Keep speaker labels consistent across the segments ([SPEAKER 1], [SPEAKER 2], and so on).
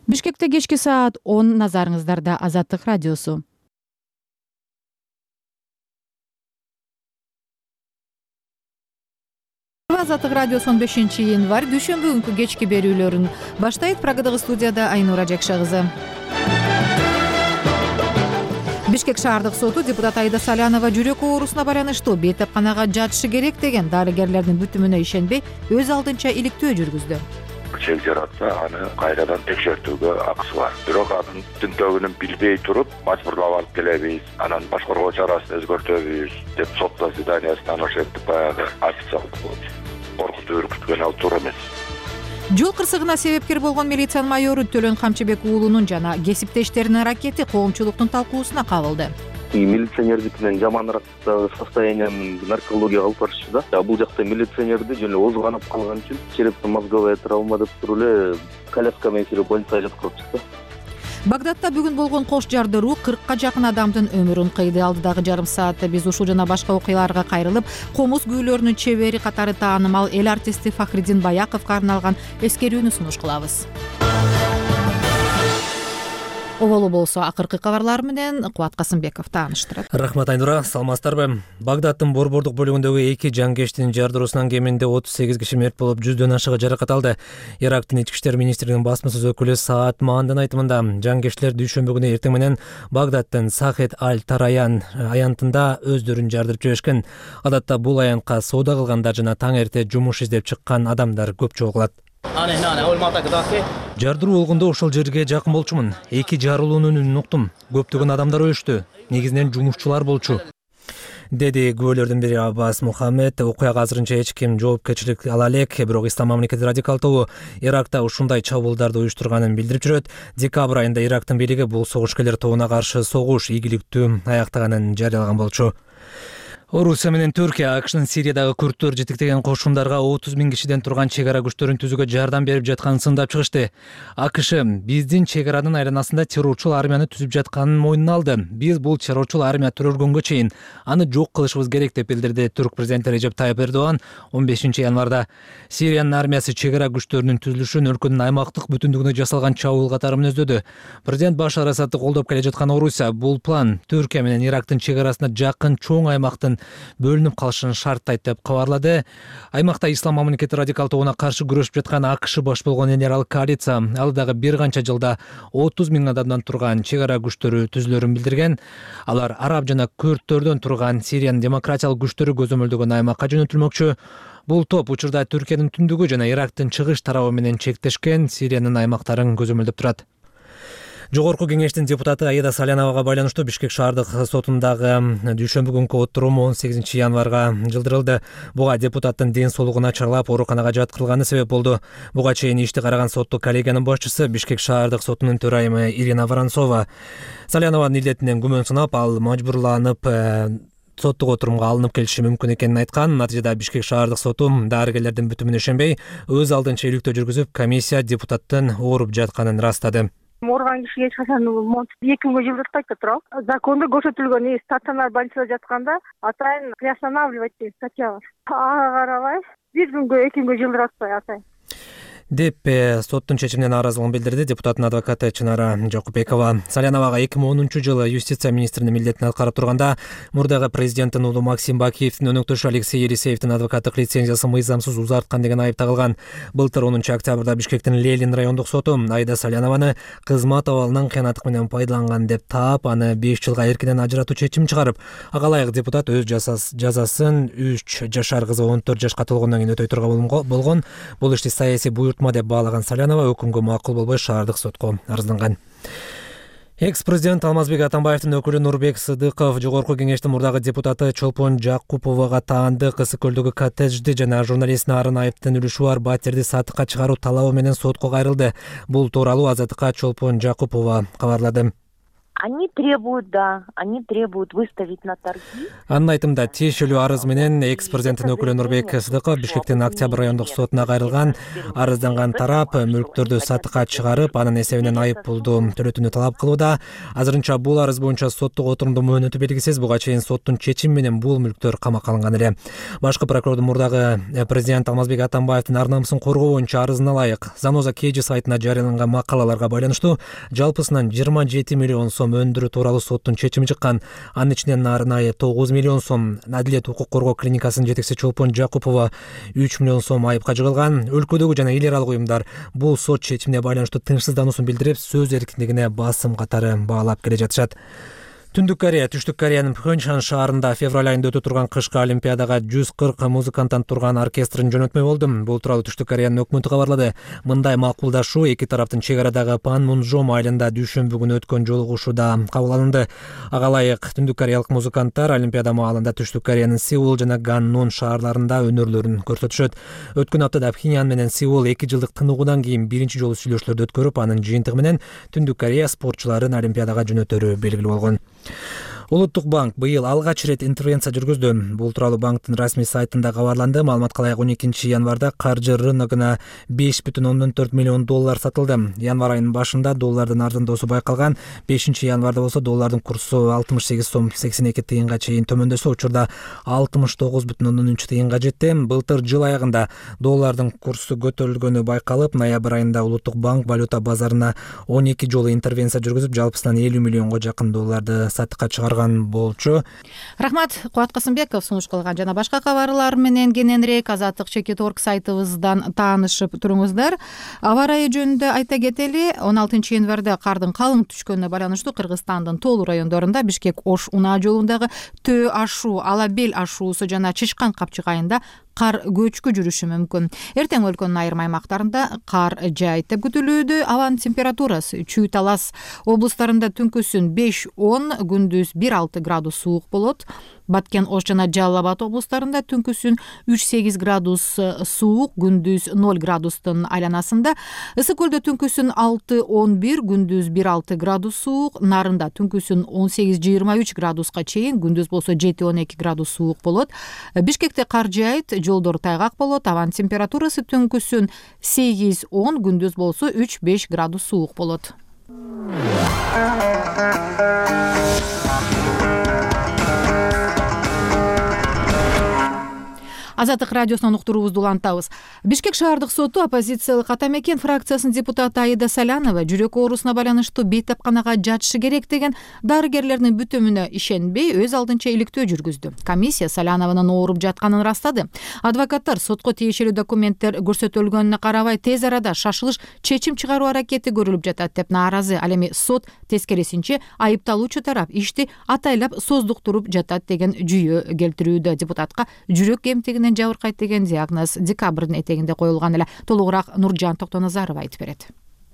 [SPEAKER 1] Бишкекте кечки саат 10 назарыңыздарда Азаттык радиосу. Азаттык радиосунун 5-январь дүйшөмбү күнкү кечки берүүлөрүн баштайт. Прагадагы студияда Айнура Жакшы кызы. Бишкек шаардык соту депутат Аида Салянова жүрөк оорусуна байланыштуу бейтапканага жатышы керек деген дарыгерлердин бүтүмүнө ишенбей өз алдынча иликтөө жүргүздү.
[SPEAKER 2] Чек жаратса, аны кайрадан текшертүүгө акысы бар. Бирок анын тинтөөгүн билбей туруп, мажбурлап алып келебиз, анан башкаруу чарасын өзгөртөбүз деп сот заседаниясынан ошентип баягы официалдуу коркутуп үркүткөн ал туура эмес.
[SPEAKER 1] Жол кырсыгына себепкер болгон милиция майору Төлөн Камчыбек уулунун жана кесиптештеринин аракети коомчулуктун талкуусуна кабылды.
[SPEAKER 3] Милиционердикинен жаманыраак состояниянын наркология алып барышчу да. Бул жакта милиционерди жөн озу канап калган үчүн черепно-мозговая травма деп туруп эле коляска менен кирип больницага жаткырып чыкты.
[SPEAKER 1] Багдадта бүгүн болгон кош жардыруу 40ка жакын адамдын өмүрүн кыйды. Алдыдагы жарым саатта биз ушул жана башка окуяларга кайрылып, комуз күүлөрүнүн чебери катары таанымал эл артисти Фахриддин Баяковго арналган эскерүүнү сунуш кылабыз. Оболу болсо акыркы кабарлар менен Кубат Касымбеков тааныштырат.
[SPEAKER 4] Рахмат Айнура, саламатсыздарбы? Багдадтын Борбордук бөлүгүндөгү 2 жангештин жардыруусунан кеминде 38 киши мерт болуп, 100дөн ашыгы жаракат алды. Ирактын ички иштер министрлигинин басма сөз өкүлү Саат Маандын айтымында, жангештилер дүйшөмбү күнү эртең менен Багдадтын Сахет Аль-Тараян аянтында өздөрүн жардырып жиберишкен. Адатта бул аянтка соода кылгандар жана таң эрте жумуш издеп чыккан адамдар көп чогулат. Жардыруу болгондо ошол жерге жакын болчумун. 2 жарылуунун үнүн уктум. Көптөгөн адамдар өлүштү. Негизинен жумушчулар болчу, деди күбөлөрдүн бири Аббас Мухаммед. Окуяга азырынча эч ким жоопкерчилик ала элек, бирок Ислам мамлекети радикал тобу Иракта ушундай чабуулдарды уюштурганын билдирип жүрөт. Декабрь айында Ирактын бийлиги бул согушкерлер тобуна каршы согуш ийгиликтүү аяктаганын жарыялаган болчу. Орусия менен Түркия АКШнын Сириядагы күрттөр жетектеген кошундарга 30 000 кишиден турган чек ара күчтөрүн түзүүгө жардам берип жатканын сындап чыгышты. АКШ биздин чек аранын айланасында террорчул армияны түзүп жатканын мойнуна алды. Биз бул террорчул армия төрөлгөнгө чейин аны жок кылышыбыз керек деп билдирди Түрк президенти Режеп Тайып Эрдоган 15 январда. Сириянын армиясы чек ара күчтөрүнүн түзүлүшүн өлкөнүн аймактык бүтүндүгүнө жасалган чабуул катары мүнөздөдү. Президент Башар Асадты колдоп келе жаткан Орусия бул план Түркия менен Ирактын чек арасына жакын чоң аймактын бөлүнүп калышын шарттайт деп кабарлады. Аймакта Ислам мамлекети радикал тобуна каршы күрөшүп жаткан АКШ баш болгон энерал коалиция ал дагы бир канча жылда 30 000 адамдан турган чек ара күчтөрү түзүлөрүн билдирген. Алар араб жана күрттөрдөн турган Сириянын демократиялык күчтөрү көзөмөлдөгөн аймакка жөнөтүлмөкчү. Бул топ учурда Түркиянын түндүгү жана Ирактын чыгыш тарабы менен чектешкен Сириянын аймактарын көзөмөлдөп турат. Жогорку кеңештин депутаты Аида Саляновага байланыштуу Бишкек шаардык сотундагы дүйшөмбү күнкү отурум 18 январга жылдырылды. Буга депутаттын ден соолугу начарлап, ооруканага жаткырылганы себеп болду. Буга чейин ишти караган соттук коллегиянын башчысы Бишкек шаардык сотунун төрайымы Ирина Воронцова Салянованын илдетинен күмөн сынап, ал мажбурланып соттук отурумга алынып келиши мүмкүн экенин айткан. Натыйжада Бишкек шаардык соту дарыгерлердин бүтүмүнө ишенбей, өз алдынча иликтөө жүргүзүп, комиссия депутаттын ооруп жатканын ырастады.
[SPEAKER 5] Ооруган кишиге эч качан 2 күнгө жылдыртпайт да турабы. Закондо көрсөтүлгөн стационар больницада жатканда атайын приостанавливать деген статья бар. Ага карабай 1 күнгө 2 күнгө жылдыратпай атайын
[SPEAKER 4] деп соттун чечимине нааразылыгын билдирди депутаттын адвокаты Чынара Жакупбекова. Саляновага 2010-жылы юстиция министринин милдетин аткарып турганда мурдагы президенттин уулу Максим Бакиевдин өнөктөшү Алексей Елисеевдин адвокаттык лицензиясын мыйзамсыз узарткан деген айып тагылган. Былтыр 10 октябрда Бишкектин Лелин райондук соту Аида Салянованы кызмат абалынан кыянаттык менен пайдаланган деп таап, аны 5 жылга эркинен ажыратуу чечим чыгарып, ага ылайык депутат өз жазасын 3 жашар кызы 14 жашка толгондон кийин өтөй турган болгон. Бул ишти саясий деп баалаган Салянова өкүмгө макул болбой шаардык сотко арызданган. Экс-президент Алмазбек Атамбаевдин өкүлү Нурбек Сыдыков жогорку кеңештин мурдагы депутаты Чолпон Жакуповага таандык ысык көлдөгү коттеджди жана журналист Нарын Айыптын үлүшү бар батирди сатыкка чыгаруу талабы менен сотко кайрылды. Бул тууралуу Азаттыкка Чолпон Жакупова кабарлады.
[SPEAKER 6] Они требуют выставить на торги.
[SPEAKER 4] Анын айтымында тиешелүү арыз менен экс-президенттин өкүлү Нурбек Сыдыков Бишкектин Октябрь райондук сотуна кайрылган. Арызданган тарап мүлктөрдү сатыкка чыгарып, анын эсебинен айып пулду төлөтүүнү талап кылууда. Азырынча бул арыз боюнча соттук отурумдун мөөнөтү белгисиз. Буга чейин соттун чечими менен бул мүлктөр камакка алынган эле. Башкы прокурордун мурдагы президент Алмазбек Атамбаевдин ар намысын коргоо боюнча арызына ылайык Заноза KG сайтына жарыяланган макалаларга байланыштуу жалпысынан 27 миллион сом өндүрүү тууралуу соттун чечими чыккан. Анын ичинен арнайы 9 миллион сом, Адилет укук коргоо клиникасынын жетекчиси Чолпон Жакупова 3 миллион сом айыпка жыгылган. Өлкөдөгү жана эл аралык уюмдар бул сот чечимине байланыштуу тынчсыздануусун билдирип, сөз эркиндигине басым катары баалап келе жатышат. Түндүк Корея, Түштүк Кореянын Пхенчхан шаарында февраль айында өтө турган кышкы олимпиадага 140 музыканттан турган оркестрин жөнөтмөй болду. Бул тууралуу Түштүк Кореянын өкмөтү кабарлады. Мындай макулдашуу эки тараптын чек арадагы Панмунжом айылында дүйшөмбү күнү өткөн жолугушууда кабыл алынды. Ага ылайык түндүк кореялык музыканттар олимпиада маалында Түштүк Кореянын Сеул жана Ганнон шаарларында өнөрлөрүн көрсөтүшөт. Өткөн аптада Пхеньян менен Сеул 2 жылдык тыныгуудан кийин биринчи жолу сүйлөшүүлөрдү өткөрүп, анын жыйынтыгы менен Түндүк Корея спортчуларын олимпиадага жөнөтөрү белгилүү болгон. Улуттук банк быйыл алгач ирет интервенция жүргүздү. Бул тууралуу банктын расмий сайтында кабарланды. Маалыматка ылайык 12 январда каржы рыногуна 5,4 миллион доллар сатылды. Январь айынын башында доллардын арзандоосу байкалган. 5 январда болсо доллардын курсу 68 сом 82 тыйынга чейин төмөндөсө, учурда 69,3 тыйынга жетти. Былтыр жыл аягында доллардын курсу көтөрүлгөнү байкалып, ноябрь айында Улуттук банк валюта базарына 12 жолу интервенция жүргүзүп, жалпысынан 50 миллионго жакын долларды сатыкка чыгарган болчу.
[SPEAKER 1] Рахмат, Кубат Касымбеков сунуш кылган. Жана башка кабарлар менен кененирээк Азаттык Чекит.org сайтыбыздан таанышып туруңуздар. Аба ырайы жөнүндө айта кетели, 16 январда кардын калың түшкөнүнө байланыштуу Кыргызстандын Тоолу райондорунда Бишкек-Ош унаа жолундагы Төө ашуу, Алабел ашуусу жана Чычкан капчык айында кар көчкү жүрүшү мүмкүн. Эртең өлкөнүн айрым аймактарында кар жаайт деп күтүлүүдө. Абанын температурасы Чүй Талас облустарында түнкүсүн 5-10, күндүз 1-6 градус суук болот. Баткен, Ош жана Жалал Абад облустарында түнкүсүн 3-8 градус суук, күндүз 0 градустун айланасында. Ысык көлдө түнкүсүн 6-11, күндүз 1-6 градус суук. Нарында түнкүсүн 18-23 градуска чейин, күндүз болсо 7-12 градус суук болот. Бишкекте кар жаайт, жолдор тайгак болот. Абанын температурасы түнкүсүн 8-10, күндүз болсо 3-5 градус суук болот. Азаттык радиосунан уктуруубузду улантабыз. Бишкек шаардык соту оппозициялык Ата Мекен фракциясынын депутаты Аида Салянова жүрөк оорусуна байланыштуу бейтапканага жатышы керек деген дарыгерлердин бүтөмүнө ишенбей, өз алдынча иликтөө жүргүздү. Комиссия Салянованын ооруп жатканын ырастады. Адвокаттар сотко тиешелүү документтер көрсөтүлгөнүнө карабай тез арада шашылыш чечим чыгаруу аракети көрүлүп жатат деп нааразы. Ал эми сот тескерисинче айыпталуучу тарап ишти атайлап создуктуруп жатат деген жүйө келтирүүдө. Депутатка жүрөк кемтигинен жабыркайт деген диагноз декабрдын этегинде коюлган эле. Толугураак Нуржан Токтоназарова айтып берет.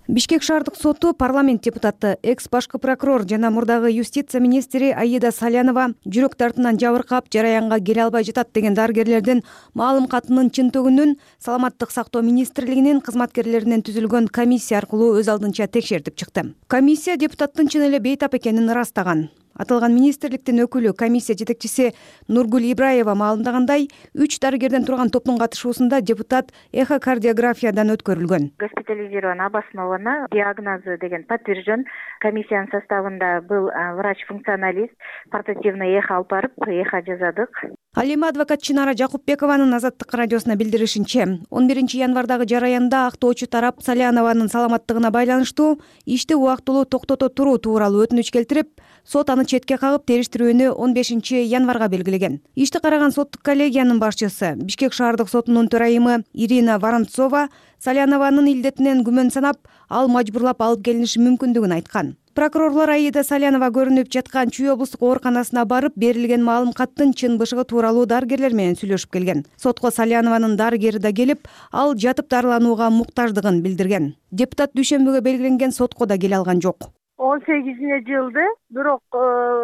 [SPEAKER 7] Бишкек шаардык соту парламент депутаты, экс башкы прокурор жана мурдагы юстиция министри Аида Салянова жүрөк дартынан жабыркап, жараянга келе албай жатат деген дарыгерлердин маалым катынын чынтөгүнүн Саламаттык сактоо министрлигинин кызматкерлеринен түзүлгөн комиссия аркылуу өз алдынча текшертип чыкты. Комиссия депутаттын чын эле бейтап экенин ырастаган. Аталган министрликтин өкүлү, комиссия жетекчиси Нургул Ибраева маалымдагандай, 3 дарыгерден турган топтун катышуусунда депутат эхокардиографиядан өткөрүлгөн.
[SPEAKER 5] Госпитализирована, обоснована, диагнозу деген подтвержден. Комиссиянын составында был врач-функционалист, портативный эхо алып барып, эхо жазадык.
[SPEAKER 7] Ал эми адвокат Чынара Жакупбекованын Азаттык радиосуна билдиришинче, 11 январдагы жараянда актоочу тарап Салянованын саламаттыгына байланыштуу ишти убактылуу токтото туруу тууралуу өтүнүч келтирип, сот аны четке кагып териштирүүнү 15 январга белгилеген. Ишти караган соттук коллегиянын башчысы, Бишкек шаардык сотунун төрайымы Ирина Воронцова Салянованын илдетинен күмөн санап, ал мажбурлап алып келиниши мүмкүндүгүн айткан. Прокурорлор Аида Салянова көрүнүп жаткан Чүй облустук ооруканасына барып, берилген маалым каттын чын бышыгы тууралуу дарыгерлер менен сүйлөшүп келген. Сотко Салянованын дарыгери да келип, ал жатып дарыланууга муктаждыгын билдирген. Депутат дүйшөмбүгө белгиленген сотко да келе алган жок.
[SPEAKER 5] 18 жылды, бирок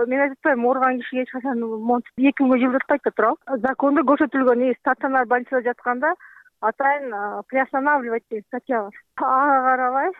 [SPEAKER 5] мен айтып атпайм, ооруган кишиге эч качан монтип 2 күнгө жылдыртпайт да турабы. Закондо көрсөтүлгөн стационар больницада жатканда атайын приостанавливать деген статья бар. Ага карабай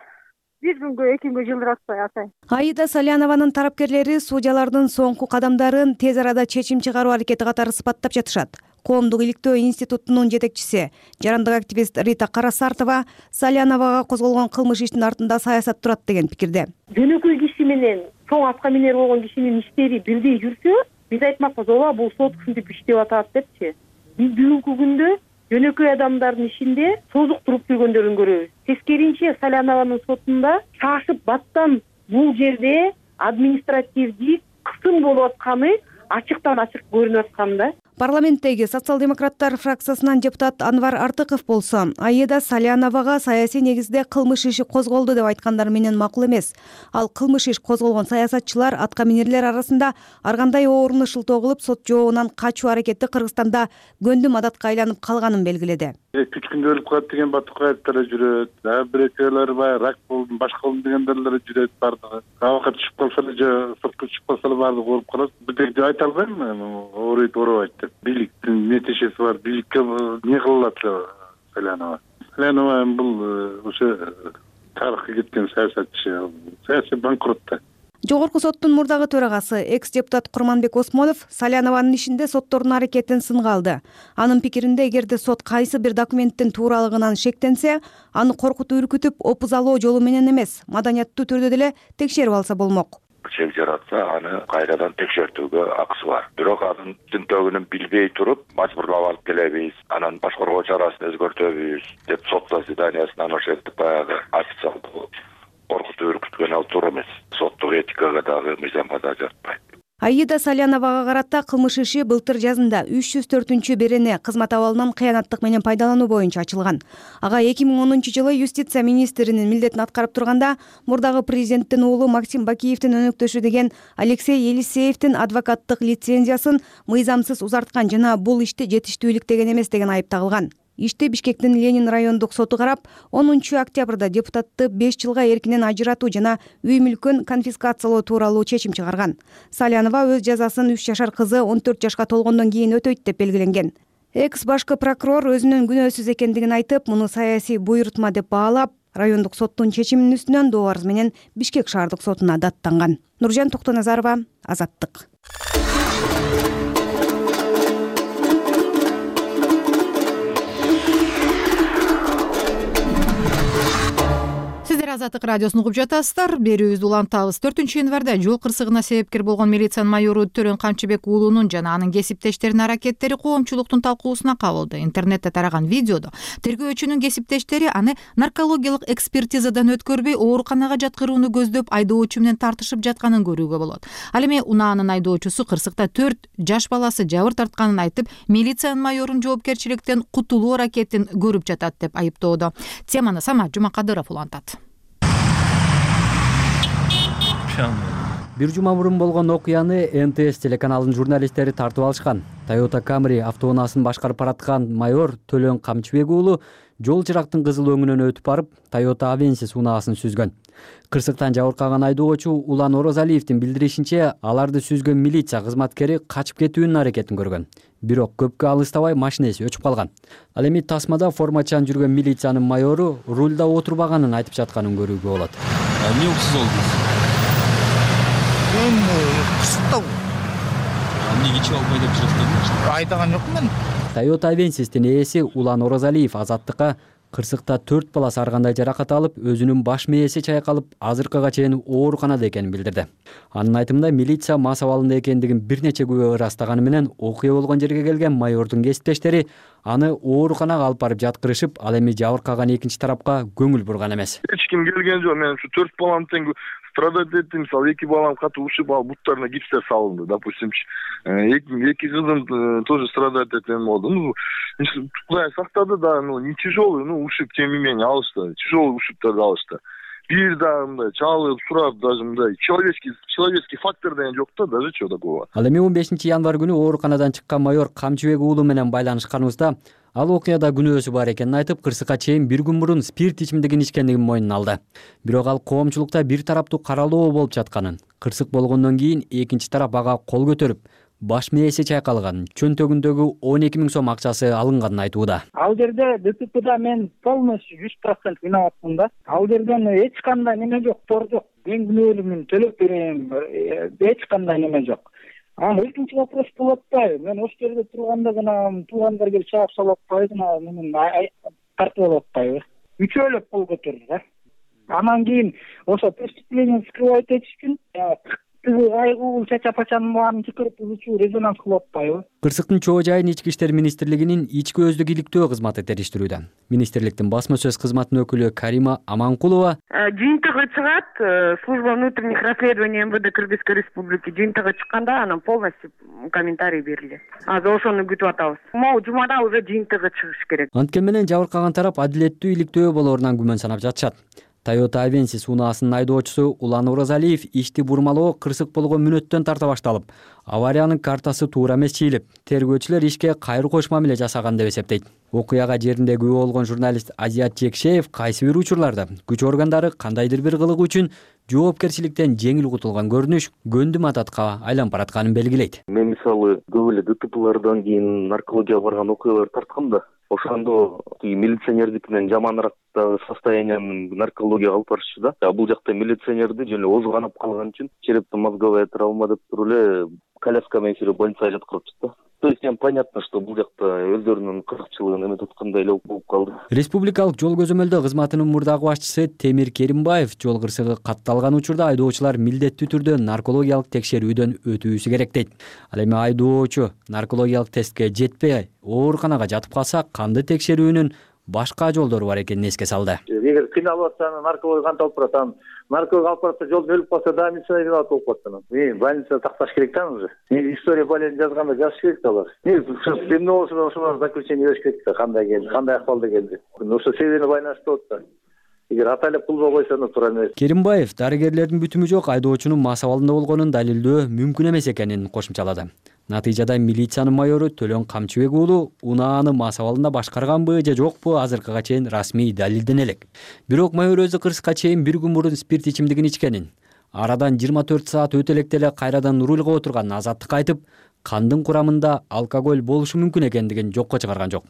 [SPEAKER 5] бир күнгө 2 күнгө жылдыратпай атайын.
[SPEAKER 7] Аида Салянованын тарапкерлери судьялардын соңку кадамдарын тез арада чечим чыгаруу аракети катары сыпаттап жатышат. Коомдук иликтөө институтунун жетекчиси, жарандык активист Рита Карасартова Саляновага козголгон кылмыш иштин артында саясат турат деген пикирде.
[SPEAKER 6] Жөнөкөй киши менен чоң атка минер болгон кишинин иштери бирдей жүрсө, биз айтмакпыз, ооба бул сот ушинтип иштеп атат депчи. Биз бүгүнкү күндө жөнөкөй адамдардын ишинде созук туруп жүргөндөрүн көрөбүз. Тескеринче Салянованын сотунда шашып баттан бул жерде административдик кысым болуп атканы ачыктан ачык көрүнүп аткан да.
[SPEAKER 7] Парламенттеги социал-демократтар фракциясынан депутат Анвар Артыков болсо, Аида Саляновага саясий негизде кылмыш иши козголду деп айткандар менен макул эмес. Ал кылмыш иш козголгон саясатчылар, атка минерлер арасында ар кандай орунду шылтоо кылып, сот жообунан качуу аракети Кыргызстанда көндүм адатка айланып калганын белгиледи.
[SPEAKER 8] 3 күндө өлүп калат деген батукаевтер жүрөт, бирөөлөр баягы рак болду, башка болду дегендер жүрөт бардыгы. Абакка түшүп калса эле же сыртка чыгып калса эле бардыгы ооруп калат. Бирдек деп айта албайм мен, ооруйт, оорубайт деп. Бийликтин нетежеси бар, бийликке эмне кылат Салянова. Салянова бул ошо тарыхка кеткен саясатчы, саясий банкрот да.
[SPEAKER 7] Жогорку соттун мурдагы төрагасы, экс-депутат Курманбек Осмонов Салянованын ишинде соттордун аракетин сынга алды. Анын пикиринде, эгерде сот кайсы бир документтин тууралыгынан шектенсе, аны коркутуп үркүтүп, опузалоо жолу менен эмес, маданияттуу түрдө деле текшерип алса болмок.
[SPEAKER 2] Чек жаратса, аны кайрадан текшертүүгө акысы бар. Бирок анын тинтөгүнүн билбей туруп, мажбурлап алып келебиз, анан башкаруу чарасын өзгөртөбүз деп сот заседаниясынан ошентип баягы официалдуу коркутуп үркүткөн ал туура эмес. Соттук этикага дагы мыйзамга да жатпайт.
[SPEAKER 7] Аида Саляновага карата кылмыш иши былтыр жазында 304 берене кызмат абалынан кыянаттык менен пайдалануу боюнча ачылган. Ага 2010-жылы юстиция министринин милдетин аткарып турганда мурдагы президенттин уулу Максим Бакиевдин өнөктөшү деген Алексей Елисеевдин адвокаттык лицензиясын мыйзамсыз узарткан жана бул ишти жетиштүүлүктеген эмес деген айып тагылган. Ишти Бишкектин Ленин райондук соту карап, 10 октябрда депутатты 5 жылга эркинен ажыратуу жана үй мүлкүн конфискациялоо тууралуу чечим чыгарган. Салянова өз жазасын 3 жашар кызы 14 жашка толгондон кийин өтөйт деп белгиленген. Экс башкы прокурор өзүнүн күнөөсүз экендигин айтып, муну саясий буйрутма деп баалап, райондук соттун чечиминин үстүнөн доо арыз менен Бишкек шаардык сотуна даттанган. Нуржан Токтоназарова, Азаттык.
[SPEAKER 1] Азаттык радиосун угуп жатасыздар. Берүүбүздү улантабыз. 4-январда жол кырсыгына себепкер болгон милициянын майору Төрөн Камчыбек уулунун жана анын кесиптештеринин аракеттери коомчулуктун талкуусуна кабылды. Интернетте тараган видеодо тергөөчүнүн кесиптештери аны наркологиялык экспертизадан өткөрбөй ооруканага жаткырууну көздөп айдоочу менен тартышып жатканын көрүүгө болот. Ал эми унаанын айдоочусу кырсыкта 4 жаш баласы жабыр тартканын айтып, милициянын майорун жоопкерчиликтен кутулуу аракетин көрүп жатат деп айыптоодо. Теманы Самат Жумакадыров улантат.
[SPEAKER 9] Бир жума мурун болгон окуяны НТС телеканалынын журналисттери тартып алышкан. Toyota Camry автоунаасын башкарып бараткан майор Төлөн Камчыбек уулу жол чырактын кызыл өңүнөн өтүп барып, Toyota Avensis унаасын сүзгөн. Кырсыктан жабыркаган айдоочу Улан Орозалиевдин билдиришинче, аларды сүзгөн милиция кызматкери качып кетүүнүн аракетин көргөн. Бирок көпкө алыстабай машинеси өчүп калган. Ал эми тасмада формачан жүргөн милициянын майору рульда отурбаганын айтып жатканын көрүүгө болот.
[SPEAKER 10] Эмне уксуз болду?
[SPEAKER 11] Кысыктау.
[SPEAKER 10] Эмнеге чыгып албай деп жүрөсүңөр?
[SPEAKER 11] Айдаган жокмун мен.
[SPEAKER 9] Toyota Avensis'тин ээси Улан Орозалиев Азаттыкка кырсыкта 4 баласы ар кандай жаракат алып, өзүнүн баш мээси чайкалып, азыркыга чейин ооруканада экенин билдирди. Анын айтымында милиция мас абалында экендигин бир нече күбө ырастаганы менен окуя болгон жерге келген майордун кесиптештери аны ооруканага алып барып жаткырышып, ал эми жабыркаган экинчи тарапка көңүл бурган эмес.
[SPEAKER 8] Эч ким келген жок. Мен ушу 4 балам тең страдать эттим. Мисалы 2 балам катуу ушуп алып, буттарына гипстер салынды, допустимчи. Эки кызым тоже страдать эткен болду. Кудай сактады да, не тяжелый, ушиб тем не менее алышты. Тяжелый ушибтерди алышты. Бир да мындай чалып, сурап, даже мындай человеческий фактор деген жок да, даже чего такого.
[SPEAKER 9] Ал эми 15 январь күнү ооруканадан чыккан майор Камчыбек уулу менен байланышканыбызда ал окуяда күнөөсү бар экенин айтып, кырсыкка чейин бир күн мурун спирт ичимдигин ичкендигин мойнуна алды. Бирок ал коомчулукта бир тараптуу каралоо болуп жатканын, кырсык болгондон кийин экинчи тарап ага кол көтөрүп, баш мээси чайкалган, чөнтөгүндөгү 12 000 сом акчасы алынганын айтууда.
[SPEAKER 11] Ал жерде ДТПда мен полностью 100% виноватмын да. Ал жерден эч кандай неме жок, тор жок. Мен күнөөлүүмүн, төлөп берем, эч кандай неме жок. Экинчи вопрос болуп атпайбы? Мен ошол жерде турганда гана туугандар келип чаап салып атпайбы, менен тартып алып атпайбы? Үчөөлөп кол көтөрдү да. Анан кийин ошо преступление скрывать этиш үчүн айгуу чача-пачанын баарын чакырып бузуучу резонанс кылып атпайбы?
[SPEAKER 9] Кырсыктын чоо жайын Ички иштер министрлигинин ички өздүк иликтөө кызматы териштирүүдө. Министрликтин басма сөз кызматынын өкүлү Карима Аманкулова
[SPEAKER 6] жыйынтыгы чыгат, служба внутренних расследований МВД Кыргызской Республики жыйынтыгы чыкканда анан полностью комментарий берилет. Азыр ошону күтүп атабыз. Могу жумада уже жыйынтыгы чыгыш керек.
[SPEAKER 9] Анткени менен жабыркаган тарап адилеттүү иликтөө болоорунан күмөн санап жатышат. Toyota Avensis унаасынын айдоочусу Улан Оразалиев ишти бурмалоо кырсык болгон мүнөттөн тарта башталып, авариянын картасы туура эмес чийилип, тергөөчүлөр ишке кайры кош мамиле жасаган деп эсептейт. Окуяга жеринде күбө болгон журналист Азият Чекшеев кайсы бир учурларда күч органдары кандайдыр бир кылыгы үчүн жоопкерчиликтен жеңил кутулган көрүнүш гөндүм адатка айланып баратканын белгилейт.
[SPEAKER 3] Мен мисалы көп эле ДТПлардан кийин наркологияга барган окуялар тарткам да. Ошондо милиционердикинен жаманырактагы состояниянын наркологияга алып барышчу да. Бул жакта милиционерди жөн эле озу канап калган үчүн черепно-мозговая травма деп туруп эле коляска менен больницага жаткырыпчы да. То есть понятно, что бул жакта өздөрүнүн кызыкчылыгын эме туткандай эле болуп калды.
[SPEAKER 9] Республикалык жол көзөмөлдөө кызматынын мурдагы башчысы Темир Керимбаев жол кырсыгы катталган учурда айдоочулар милдеттүү түрдө наркологиялык текшерүүдөн өтүүсү керек дейт. Ал эми айдоочу наркологиялык тестке жетпей ооруканага жатып калса, канды текшерүүнүн башка жолдору бар экенин эске салды.
[SPEAKER 12] Эгер кыйналып атса, нарколог кантип алып барат? Нарколог алып барса, жолдо өлүп калса, да милиция виноват болуп калат. Больницада такташ керек да уже. История болезни жазганда жазыш керек да алар. Эмне болсо ошолор заключение бериш керек да, кандай келди, кандай акыбалда келди. Ошо себебине байланыштуу болот да. Эгер атайлап кылбай койсо, туура эмес.
[SPEAKER 9] Керимбаев дарыгерлердин бүтүмү жок айдоочунун мас абалында болгонун далилдөө мүмкүн эмес экенин кошумчалады. Натыйжада милициянын майору Төлөн Камчыбек уулу унааны мас абалында башкарганбы же жокпу азыркыга чейин расмий далилдене элек. Бирок майор өзү кырсыкка чейин бир күн мурун спирт ичимдигин ичкенин, арадан 24 саат өтө электе эле кайрадан рульга отурганын азаттыкка айтып, кандын курамында алкоголь болушу мүмкүн экендигин жокко чыгарган жок.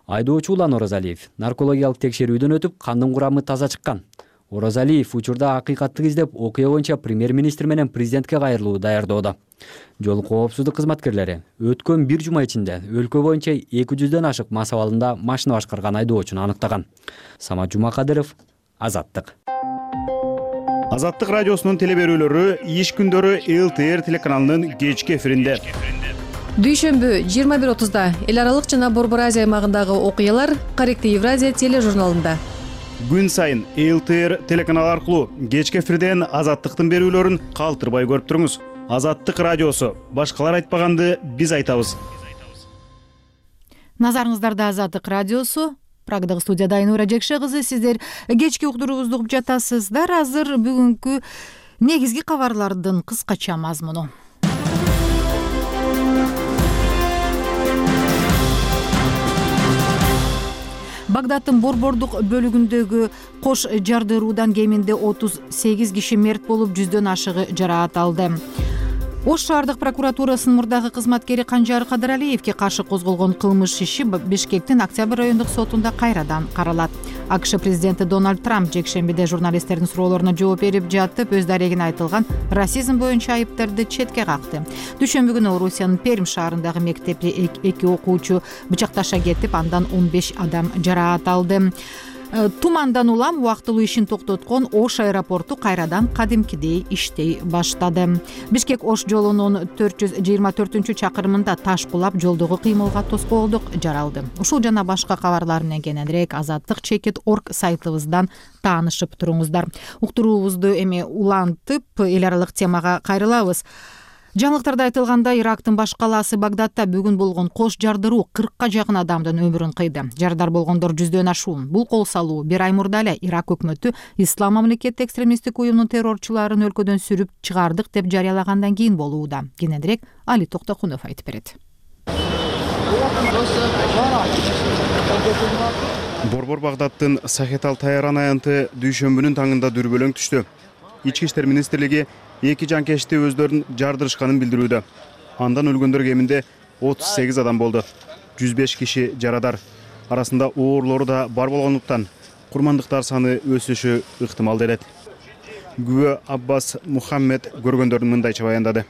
[SPEAKER 9] Айдоочу Улан Оразалиев наркологиялык текшерүүдөн өтүп, кандын курамы таза чыккан. Оразалиев учурда акыйкатты издеп, окуя боюнча премьер-министр менен президентке кайрылуу даярдоодо. Жол коопсуздук кызматкерлери өткөн бир жума ичинде өлкө боюнча 200дөн ашык мас абалында машина башкарган айдоочуну аныктаган. Самат Жумакадыров, Азаттык.
[SPEAKER 13] Азаттык радиосунун телеберүүлөрү иш күндөрү ЛТР телеканалынын кечки эфиринде.
[SPEAKER 14] Дүйшөмбү 21:30да эл аралык жана Борбор Азия аймагындагы окуялар Корректив Евразия тележурналында.
[SPEAKER 13] Күн сайын ЛТР телеканалы аркылуу кечки эфирден Азаттыктын берүүлөрүн калтырбай көрүп туруңуз. Азаттык радиосу. Башкалар айтпаганды биз айтабыз.
[SPEAKER 1] Назарыңыздарда Азаттык радиосу. Прагдагы студияда Айнура Жекше кызы. Сиздер кечки уктуруубузду угуп жатасыздар. Азыр бүгүнкү негизги кабарлардын кыскача мазмуну. Багдадтын борбордук бөлүгүндөгү кош жардыруудан кеминде 38 киши мерт болуп, 100дөн ашыгы жараат алды. Ош шаардык прокуратурасынын мурдагы кызматкери Канжар Кадыралиевке каршы козголгон кылмыш иши Бишкектин Октябрь райондук сотунда кайрадан каралат. АКШ президенти Дональд Трамп жекшембиде журналисттердин суроолоруна жооп берип жатып, өз дарегине айтылган расизм боюнча айыптарды четке какты. Дүйшөмбү күнү Орусиянын Пермь шаарындагы мектепте 2 окуучу бычакташа кетип, андан 15 адам жараат алды. Тумандан улам убактылуу ишин токтоткон Ош аэропорту кайрадан кадимкидей иштей баштады. Бишкек-Ош жолунун 424-чакырымында таш кулап, жолдогу кыймылга тоскоолдук жаралды. Ушул жана башка кабарлар менен кененирээк azattik.org сайтыбыздан таанышып туруңуздар. Уктуруубузду эми улантып, эл аралык темага кайрылабыз. Жаңылыктарда айтылгандай, Ирактын баш калаасы Багдадта бүгүн болгон кош жардыруу 40ка жакын адамдын өмүрүн кыйды. Жардар болгондор 100дөн ашуун. Бул кол салуу бир ай мурда эле Ирак өкмөтү Ислам мамлекети экстремисттик уюмунун террорчуларын өлкөдөн сүрүп чыгардык деп жарыялагандан кийин болууда. Кененирээк Али Токтокунов айтып берет.
[SPEAKER 13] Борбор Багдадтын Сахетал Тайран аянты дүйшөмбүнүн таңында дүрбөлөң түштү. Ички иштер министрлиги 2 жанкечти өздөрүн жардырышканын билдирүүдө. Андан өлгөндөр кеминде 38 адам болду. 105 киши жарадар. Арасында оорлору да бар болгондуктан курмандыктар саны өсүшү ыктымал делет. Күбө Аббас Мухаммед көргөндөрүн мындайча баяндады.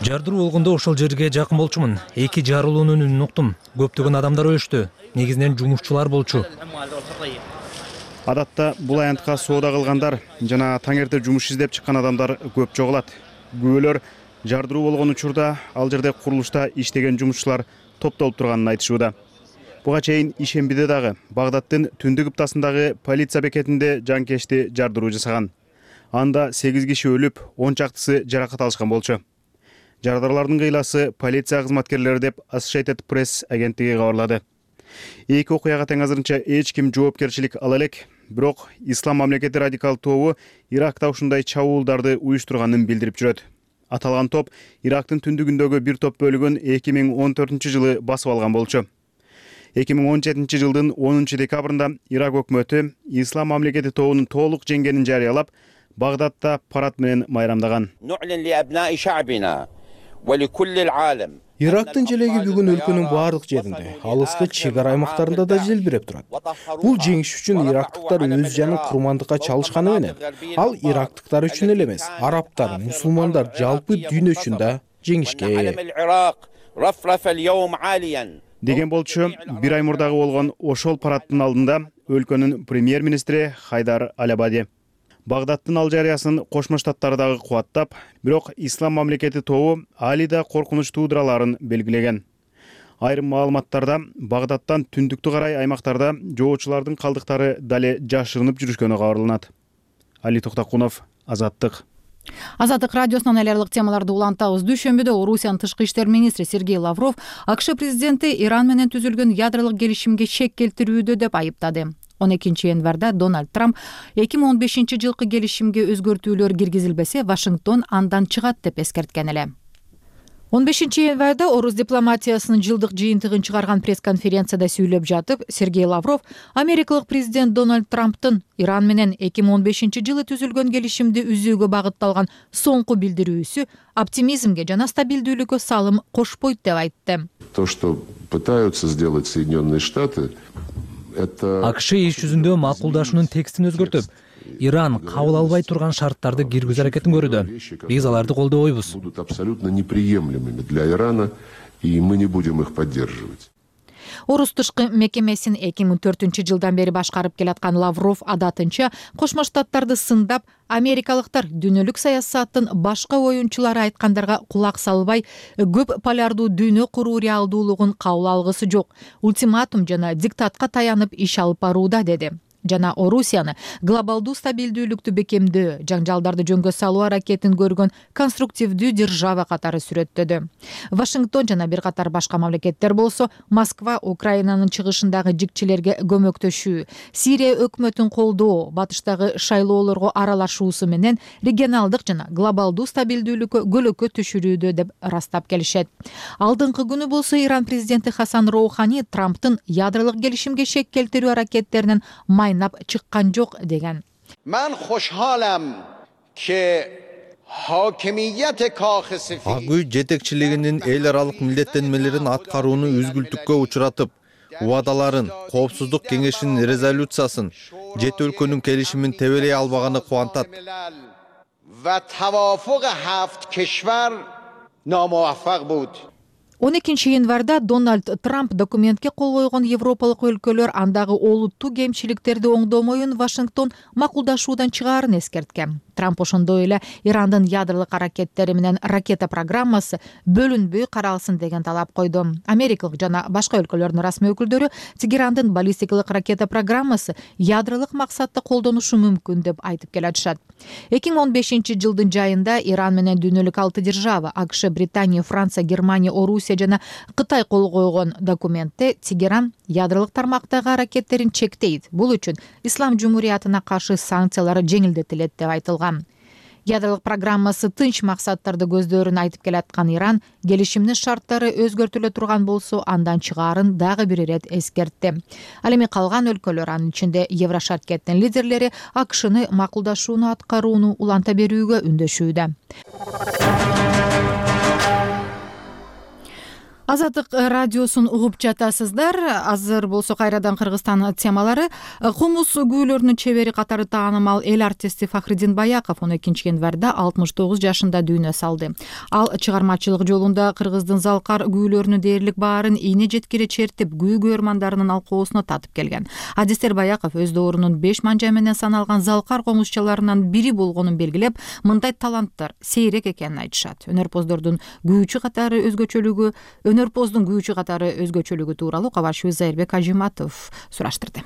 [SPEAKER 4] Жардыруу болгондо ошол жерге жакын болчумун. 2 жарылуунун үнүн уктум. Көптөгөн адамдар өлүштү. Негизинен жумушчулар болчу.
[SPEAKER 13] Адатта бул аянтка соода кылгандар жана таң эрте жумуш издеп чыккан адамдар көп жогулат. Күбөлөр жардыруу болгон учурда ал жерде курулушта иштеген жумушчулар топтолуп турганын айтышууда. Буга чейин ишембиде дагы Багдадтын түндүк ыптасындагы полиция бекетинде жанкечти жардыруу жасаган. Анда 8 киши өлүп, 10 чактысы жаракат алышкан болчу. Жардарлардын кыйласы полиция кызматкерлери деп Associated Press агенттиги кабарлады. Эки окуяга тең азырынча эч ким жоопкерчилик ала элек, бирок Ислам мамлекети радикал тобу Иракта ушундай чабуулдарды уюштурганын билдирип жүрөт. Аталган топ Ирактын түндүгүндөгү бир топ бөлүгүн 2014-жылы басып алган болчу. 2017 жылдын 10 декабрында Ирак өкмөтү Ислам мамлекети тобунун толук жеңгенин жарыялап, Багдадта парад менен майрамдаган.
[SPEAKER 15] Ирактын желеги бүгүн өлкөнүн баардык жеринде, алыскы чек ара аймактарында да желбиреп турат. Бул жеңиш үчүн ирактыктар өз жанын курмандыкка чалышканы менен, ал ирактыктар үчүн эле эмес, арабтар, мусулмандар, жалпы дүйнө үчүн да жеңишке ээ.
[SPEAKER 13] Деген болчу, бир ай мурдагы болгон ошол парадтын алдында өлкөнүн премьер-министри Хайдар Аль-Абади Багдадтын ал жарыясын Кошмо Штаттар дагы кубаттап, бирок Ислам мамлекети тобу али да коркунуч туудураларын белгилеген. Айрым маалыматтарда Багдадтан түндүктү карай аймактарда жоочулардын калдыктары дале жашырынып жүрүшкөнү кабарланат. Али Токтакунов, Азаттык.
[SPEAKER 1] Азаттык радиосунан эл аралык темаларды улантабыз. Дүйшөмбүдө Орусиянын тышкы иштер министри Сергей Лавров АКШ президенти Иран менен түзүлгөн ядролук келишимге шек келтирүүдө деп айыптады. 12 январда Дональд Трамп 2015 жылкы келишимге өзгөртүүлөр киргизилбесе, Вашингтон андан чыгат деп эскерткен эле. 15 январда Орус дипломатиясынын жылдык жыйынтыгын чыгарган пресс-конференцияда сүйлөп жатып, Сергей Лавров америкалык президент Дональд Трамптын Иран менен 2015 жылы түзүлгөн келишимди үзүүгө багытталган соңку билдирүүсү оптимизмге жана стабилдүүлүккө салым кошпойт деп айтты.
[SPEAKER 16] То, что пытаются сделать Соединенные Штаты,
[SPEAKER 4] АКШ иш жүзүндө макулдашуунун текстин өзгөртүп, Иран кабыл албай турган шарттарды киргизүү аракетин көрүүдө. Биз аларды колдобойбуз.
[SPEAKER 16] Будут абсолютно неприемлемыми для Ирана, и мы не будем их поддерживать.
[SPEAKER 1] Орус тышкы мекемесин 2004 жылдан бери башкарып келаткан Лавров адатынча Кошмо Штаттарды сындап, америкалыктар дүйнөлүк саясаттын башка оюнчулары айткандарга кулак салбай, көп полярдуу дүйнө куруу реалдуулугун кабыл алгысы жок, ультиматум жана диктатка таянып иш алып барууда деди. Жана Орусияны глобалдуу стабилдүүлүктү бекемдөө, жаңжалдарды жөнгө салуу аракетин көргөн конструктивдүү держава катары сүрөттөдү. Вашингтон жана бир катар башка мамлекеттер болсо, Москва Украинанын чыгышындагы жикчилерге көмөктөшүү, Сирия өкмөтүн колдоо, батыштагы шайлоолорго аралашуусу менен регионалдык жана глобалдуу стабилдүүлүккө көлөкө түшүрүүдө деп ырастап келишет. Алдыңкы күнү болсо Иран президенти Хасан Роухани Трамптын ядролук келишимге шек келтирүү аракеттеринен майнап чыккан жок деген.
[SPEAKER 17] Мен хошхалам ки хакимият кахи
[SPEAKER 18] ак үй жетекчилигинин эл аралык милдеттенмелерин аткарууну үзгүлтүккө учуратып, убадаларын, коопсуздук кеңешинин резолюциясын, жети өлкөнүн келишимин тебелей албаганы кубантат.
[SPEAKER 17] Ва тавафук 7 кишвар намуваффак буд.
[SPEAKER 1] 12 январда Дональд Трамп документке кол койгон европалык өлкөлөр андагы олуттуу кемчиликтерди оңдомоюн Вашингтон макулдашуудан чыгаарын эскерткен. Трамп ошондой эле Ирандын ядролук аракеттери менен ракета программасы бөлүнбөй каралсын деген талап койду. Америкалык жана башка өлкөлөрдүн расмий өкүлдөрү Тегерандын баллистикалык ракета программасы ядролук максатта колдонушу мүмкүн деп айтып келатышат. 2015 жылдын жайында Иран менен дүйнөлүк 6 держава АКШ, Британия, Франция, Германия, Орусия жана Кытай кол койгон документте Тегеран ядролук тармактагы аракеттерин чектейт. Бул үчүн Ислам Жумуриятына каршы санкциялар жеңилдетилет деп айтылган. Ядролук программасы тынч максаттарды көздөрүн айтып келаткан Иран келишимдин шарттары өзгөртүлө турган болсо андан чыгаарын дагы бир ирет эскертти. Ал эми калган өлкөлөр, анын ичинде Еврошаркеттин лидерлери АКШны макулдашууну аткарууну уланта берүүгө үндөшүүдө. Азаттык радиосун угуп жатасыздар. Азыр болсо кайрадан Кыргызстан темалары. Комуз күүлөрүнүн чебери катары таанымал эл артисти Фахриддин Баяков 12 январда 69 жашында дүйнө салды. Ал чыгармачылык жолунда кыргыздын залкар күүлөрүнүн дээрлик баарын ийне жеткире чертип, күү көрмандарынын алкоосуна татып келген. Адистер Баяков өз доорунун 5 манжа менен саналган залкар комузчаларынан бири болгонун белгилеп, мындай таланттар сейрек экенин айтышат. Өнөрпоздун күүчү катары өзгөчөлүгү тууралуу кабарчыбыз Зайырбек Ажиматов сураштырды.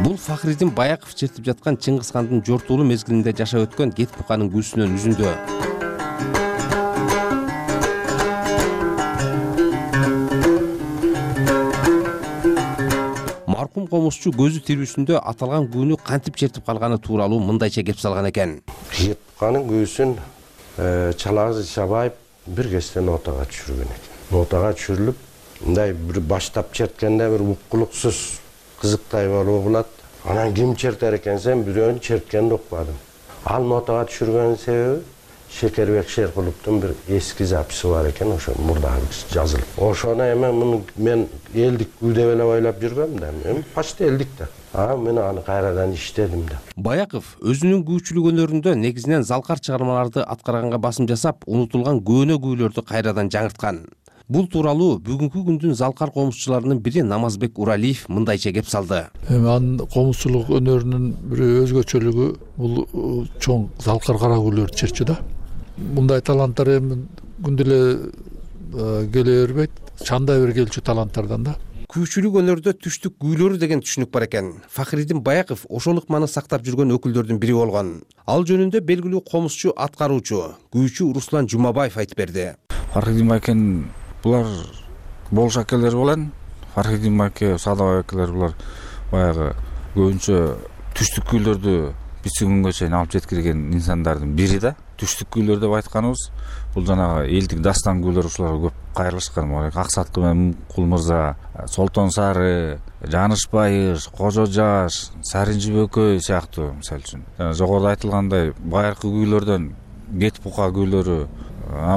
[SPEAKER 19] Бул Фахриддин Баяков чертип жаткан Чыңгыз хандын жортуулуу мезгилинде жашап өткөн Кет буканын күүсүнөн үзүндү. Маркум комузчу көзү тирүүсүндө аталган күүнү кантип чертип калганы тууралуу мындайча кеп салган экен.
[SPEAKER 20] Кет буканын күүсүн Чалазы Чабаев бир кезде нотага түшүргөн экен. Нотага түшүрүлүп, мындай бир баштап черткенде бир уккулуксуз кызыктай болуп булат. Анан ким чертер экенсен, бирөөнү черткенди укпадым. Ал нотага түшүргөнүн себеби Шекербек Шеркуловдун бир эски записи бар экен, ошо мурдагы жазылып. Ошону эми муну мен элдик күү деп эле ойлоп жүргөм да. Эми почти элдик да. Мен аны кайрадан иштедим да.
[SPEAKER 19] Баяков өзүнүн күүчүлүк өнөрүндө негизинен залкар чыгармаларды аткарганга басым жасап, унутулган көөнө күүлөрдү кайрадан жаңырткан. Бул тууралуу бүгүнкү күндүн залкар комузчуларынын бири Намазбек Уралиев мындайча кеп салды.
[SPEAKER 21] Анын комузчулук өнөрүнүн бир өзгөчөлүгү бул чоң залкар кара күүлөрдү чертчү да. Мындай таланттар эми күндө эле келе бербейт. Чандай бир келчү таланттардан да.
[SPEAKER 19] Күүчүлүк өнөрдө түштүк күүлөрү деген түшүнүк бар экен. Фахриддин Баяков ошол ыкманы сактап жүргөн өкүлдөрдүн бири болгон. Ал жөнүндө белгилүү комузчу, аткаруучу, күүчү Руслан Жумабаев айтып берди.
[SPEAKER 22] Фахриддин Баяков булар болуш акелер болон. Фахриддин Баяков, Садабай акелер булар баягы көбүнчө түштүк күүлөрдү бизчи күнгө чейин алып жеткирген инсандардын бири да. Түштүк күүлөр деп айтканыбыз бул жанагы элдик дастан күүлөр ушуларга көп кайрылышкан. Аксаткы менен Кул мырза, Солтон Сары, Жаныш Байыш, Кожо Жаш, Саринжи Бөкөй сыяктуу мисалы үчүн. Жогоруда айтылгандай байыркы күүлөрдөн Кет бука күүлөрү,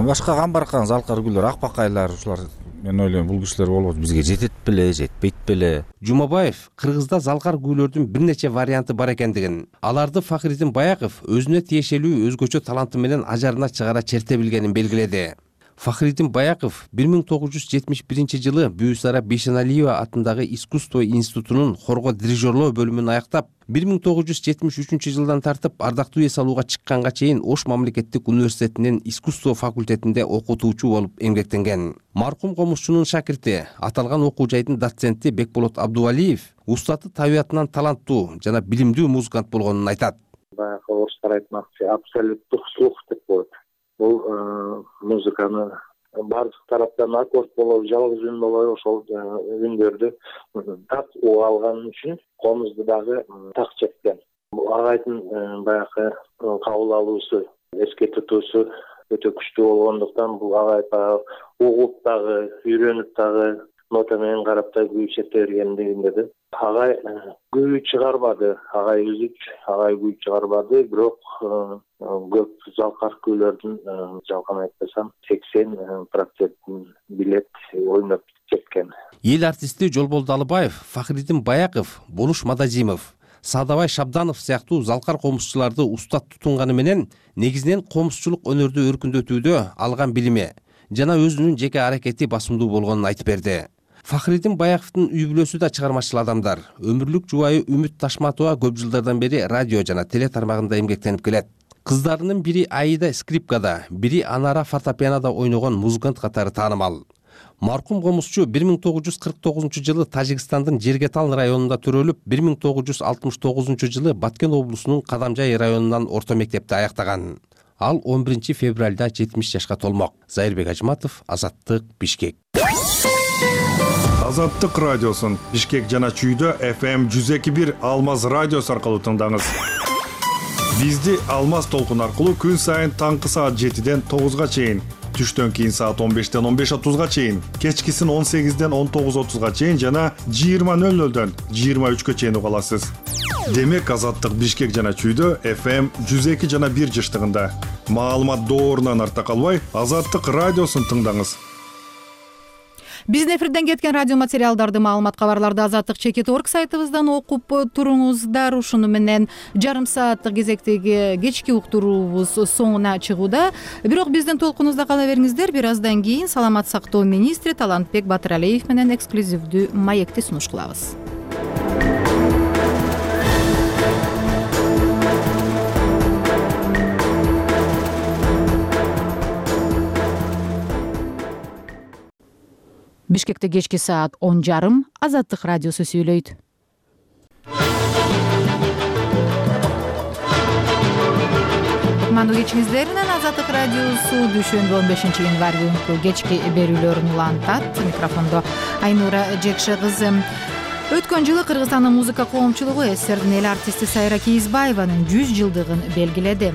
[SPEAKER 22] башка камбаркан залкар күүлөр, Акбакайлар ушулар мен ойлойм бул кишилер болбосо бизге жетет беле, жетпейт беле.
[SPEAKER 19] Жумабаев Кыргызда залкар күүлөрдүн бир нече варианты бар экендигин, аларды Фахриддин Баяков өзүнө тиешелүү өзгөчө таланты менен ажарына чыгара черте билгенин белгиледи. Фахриддин Баяков 1971 жылы Бүйүсара Бейшеналиева атындагы искусство институтунун хорго дирижерлоо бөлүмүн аяктап, 1973 жылдан тартып ардактуу эс алууга чыкканга чейин Ош мамлекеттик университетинин искусство факультетинде окутуучу болуп эмгектенген. Маркум комузчунун шакирти, аталган окуу жайдын доценти Бекболот Абдувалиев устаты табиятынан таланттуу жана билимдүү музыкант болгонун айтат.
[SPEAKER 12] Баягы орустар айтмакчы, абсолюттук слух деп коет. Бул музыканы бардык тараптан аккорд болобу, жалгыз үн болобу, ошол үндөрдү так уга алган үчүн комузду дагы так чеккен. Агайдын баягы кабыл алуусу, эске тутуусу өтө күчтүү болгондуктан бул агай угуп дагы, үйрөнүп дагы нота менен карап да күү черте бергендигинде агай күү чыгарбады, агай өзү күү чыгарбады, бирок көп залкар күүлөрдүн жалган айтпасам 80% билет ойноп кеткен.
[SPEAKER 19] Эл артисти Жолбол Далыбаев, Фахриддин Баяков, Болуш Мадазимов, Садабай Шабданов сыяктуу залкар комузчуларды устат тутунганы менен негизинен комузчулук өнөрдү өркүндөтүүдө алган билими жана өзүнүн жеке аракети басымдуу болгонун айтып берди. Фахриддин Баяковдун үй бүлөсү да чыгармачыл адамдар. Өмүрлүк жубайы Үмүт Ташматова көп жылдардан бери радио жана теле тармагында эмгектенип келет. Кыздарынын бири Аида скрипкада, бири Анара фортепианода ойногон музыкант катары таанымал. Маркум комузчу 1949 жылы Тажикстандын Жергетал районунда төрөлүп, 1969 жылы Баткен облусунун Кадамжай районунан орто мектепти аяктаган. Ал 11 февралда 70 жашка толмок. Зайырбек Ажиматов, Азаттык, Бишкек.
[SPEAKER 2] Азаттык радиосун Бишкек жана Чүйдө FM 102.1 Алмаз радиосу аркылуу тыңдаңыз. Бизди Алмаз толкун аркылуу күн сайын таңкы саат 7ден 9га чейин, түштөн кийин саат 15ден 15:30га чейин, кечкисин 18ден 19:30га чейин жана 20:00дөн 23га чейин уга аласыз. Демек Азаттык Бишкек жана Чүйдө FM 102 жана 1 жыштыгында. Маалымат доорунан арта калбай, Азаттык радиосун тыңдаңыз.
[SPEAKER 1] Биздин эфирден кеткен радио материалдарды, маалымат, кабарларды Азаттык.org сайтыбыздан окуп туруңуздар. Ушуну менен жарым сааттык кезектеги кечки уктуруубуз соңуна чыгууда. Бирок биздин толкунубузда кала бериңиздер. Бир аздан кийин саламат сактоо министри Талантбек Батыралиев менен эксклюзивдүү маекти сунуш кылабыз. Бишкекте кечки саат 10:30 Азаттык радиосу сүйлөйт. Кутмандуу кечиңиздер менен Азаттык радиосу дүйшөмбү 15 январь күнкү кечки берүүлөрүн улантат. Микрофондо Айнура Жекше кызы. Өткөн жылы Кыргызстандын музыка коомчулугу СССРдин эл артисти Сайра Кийизбаеванын 100 жылдыгын белгиледи.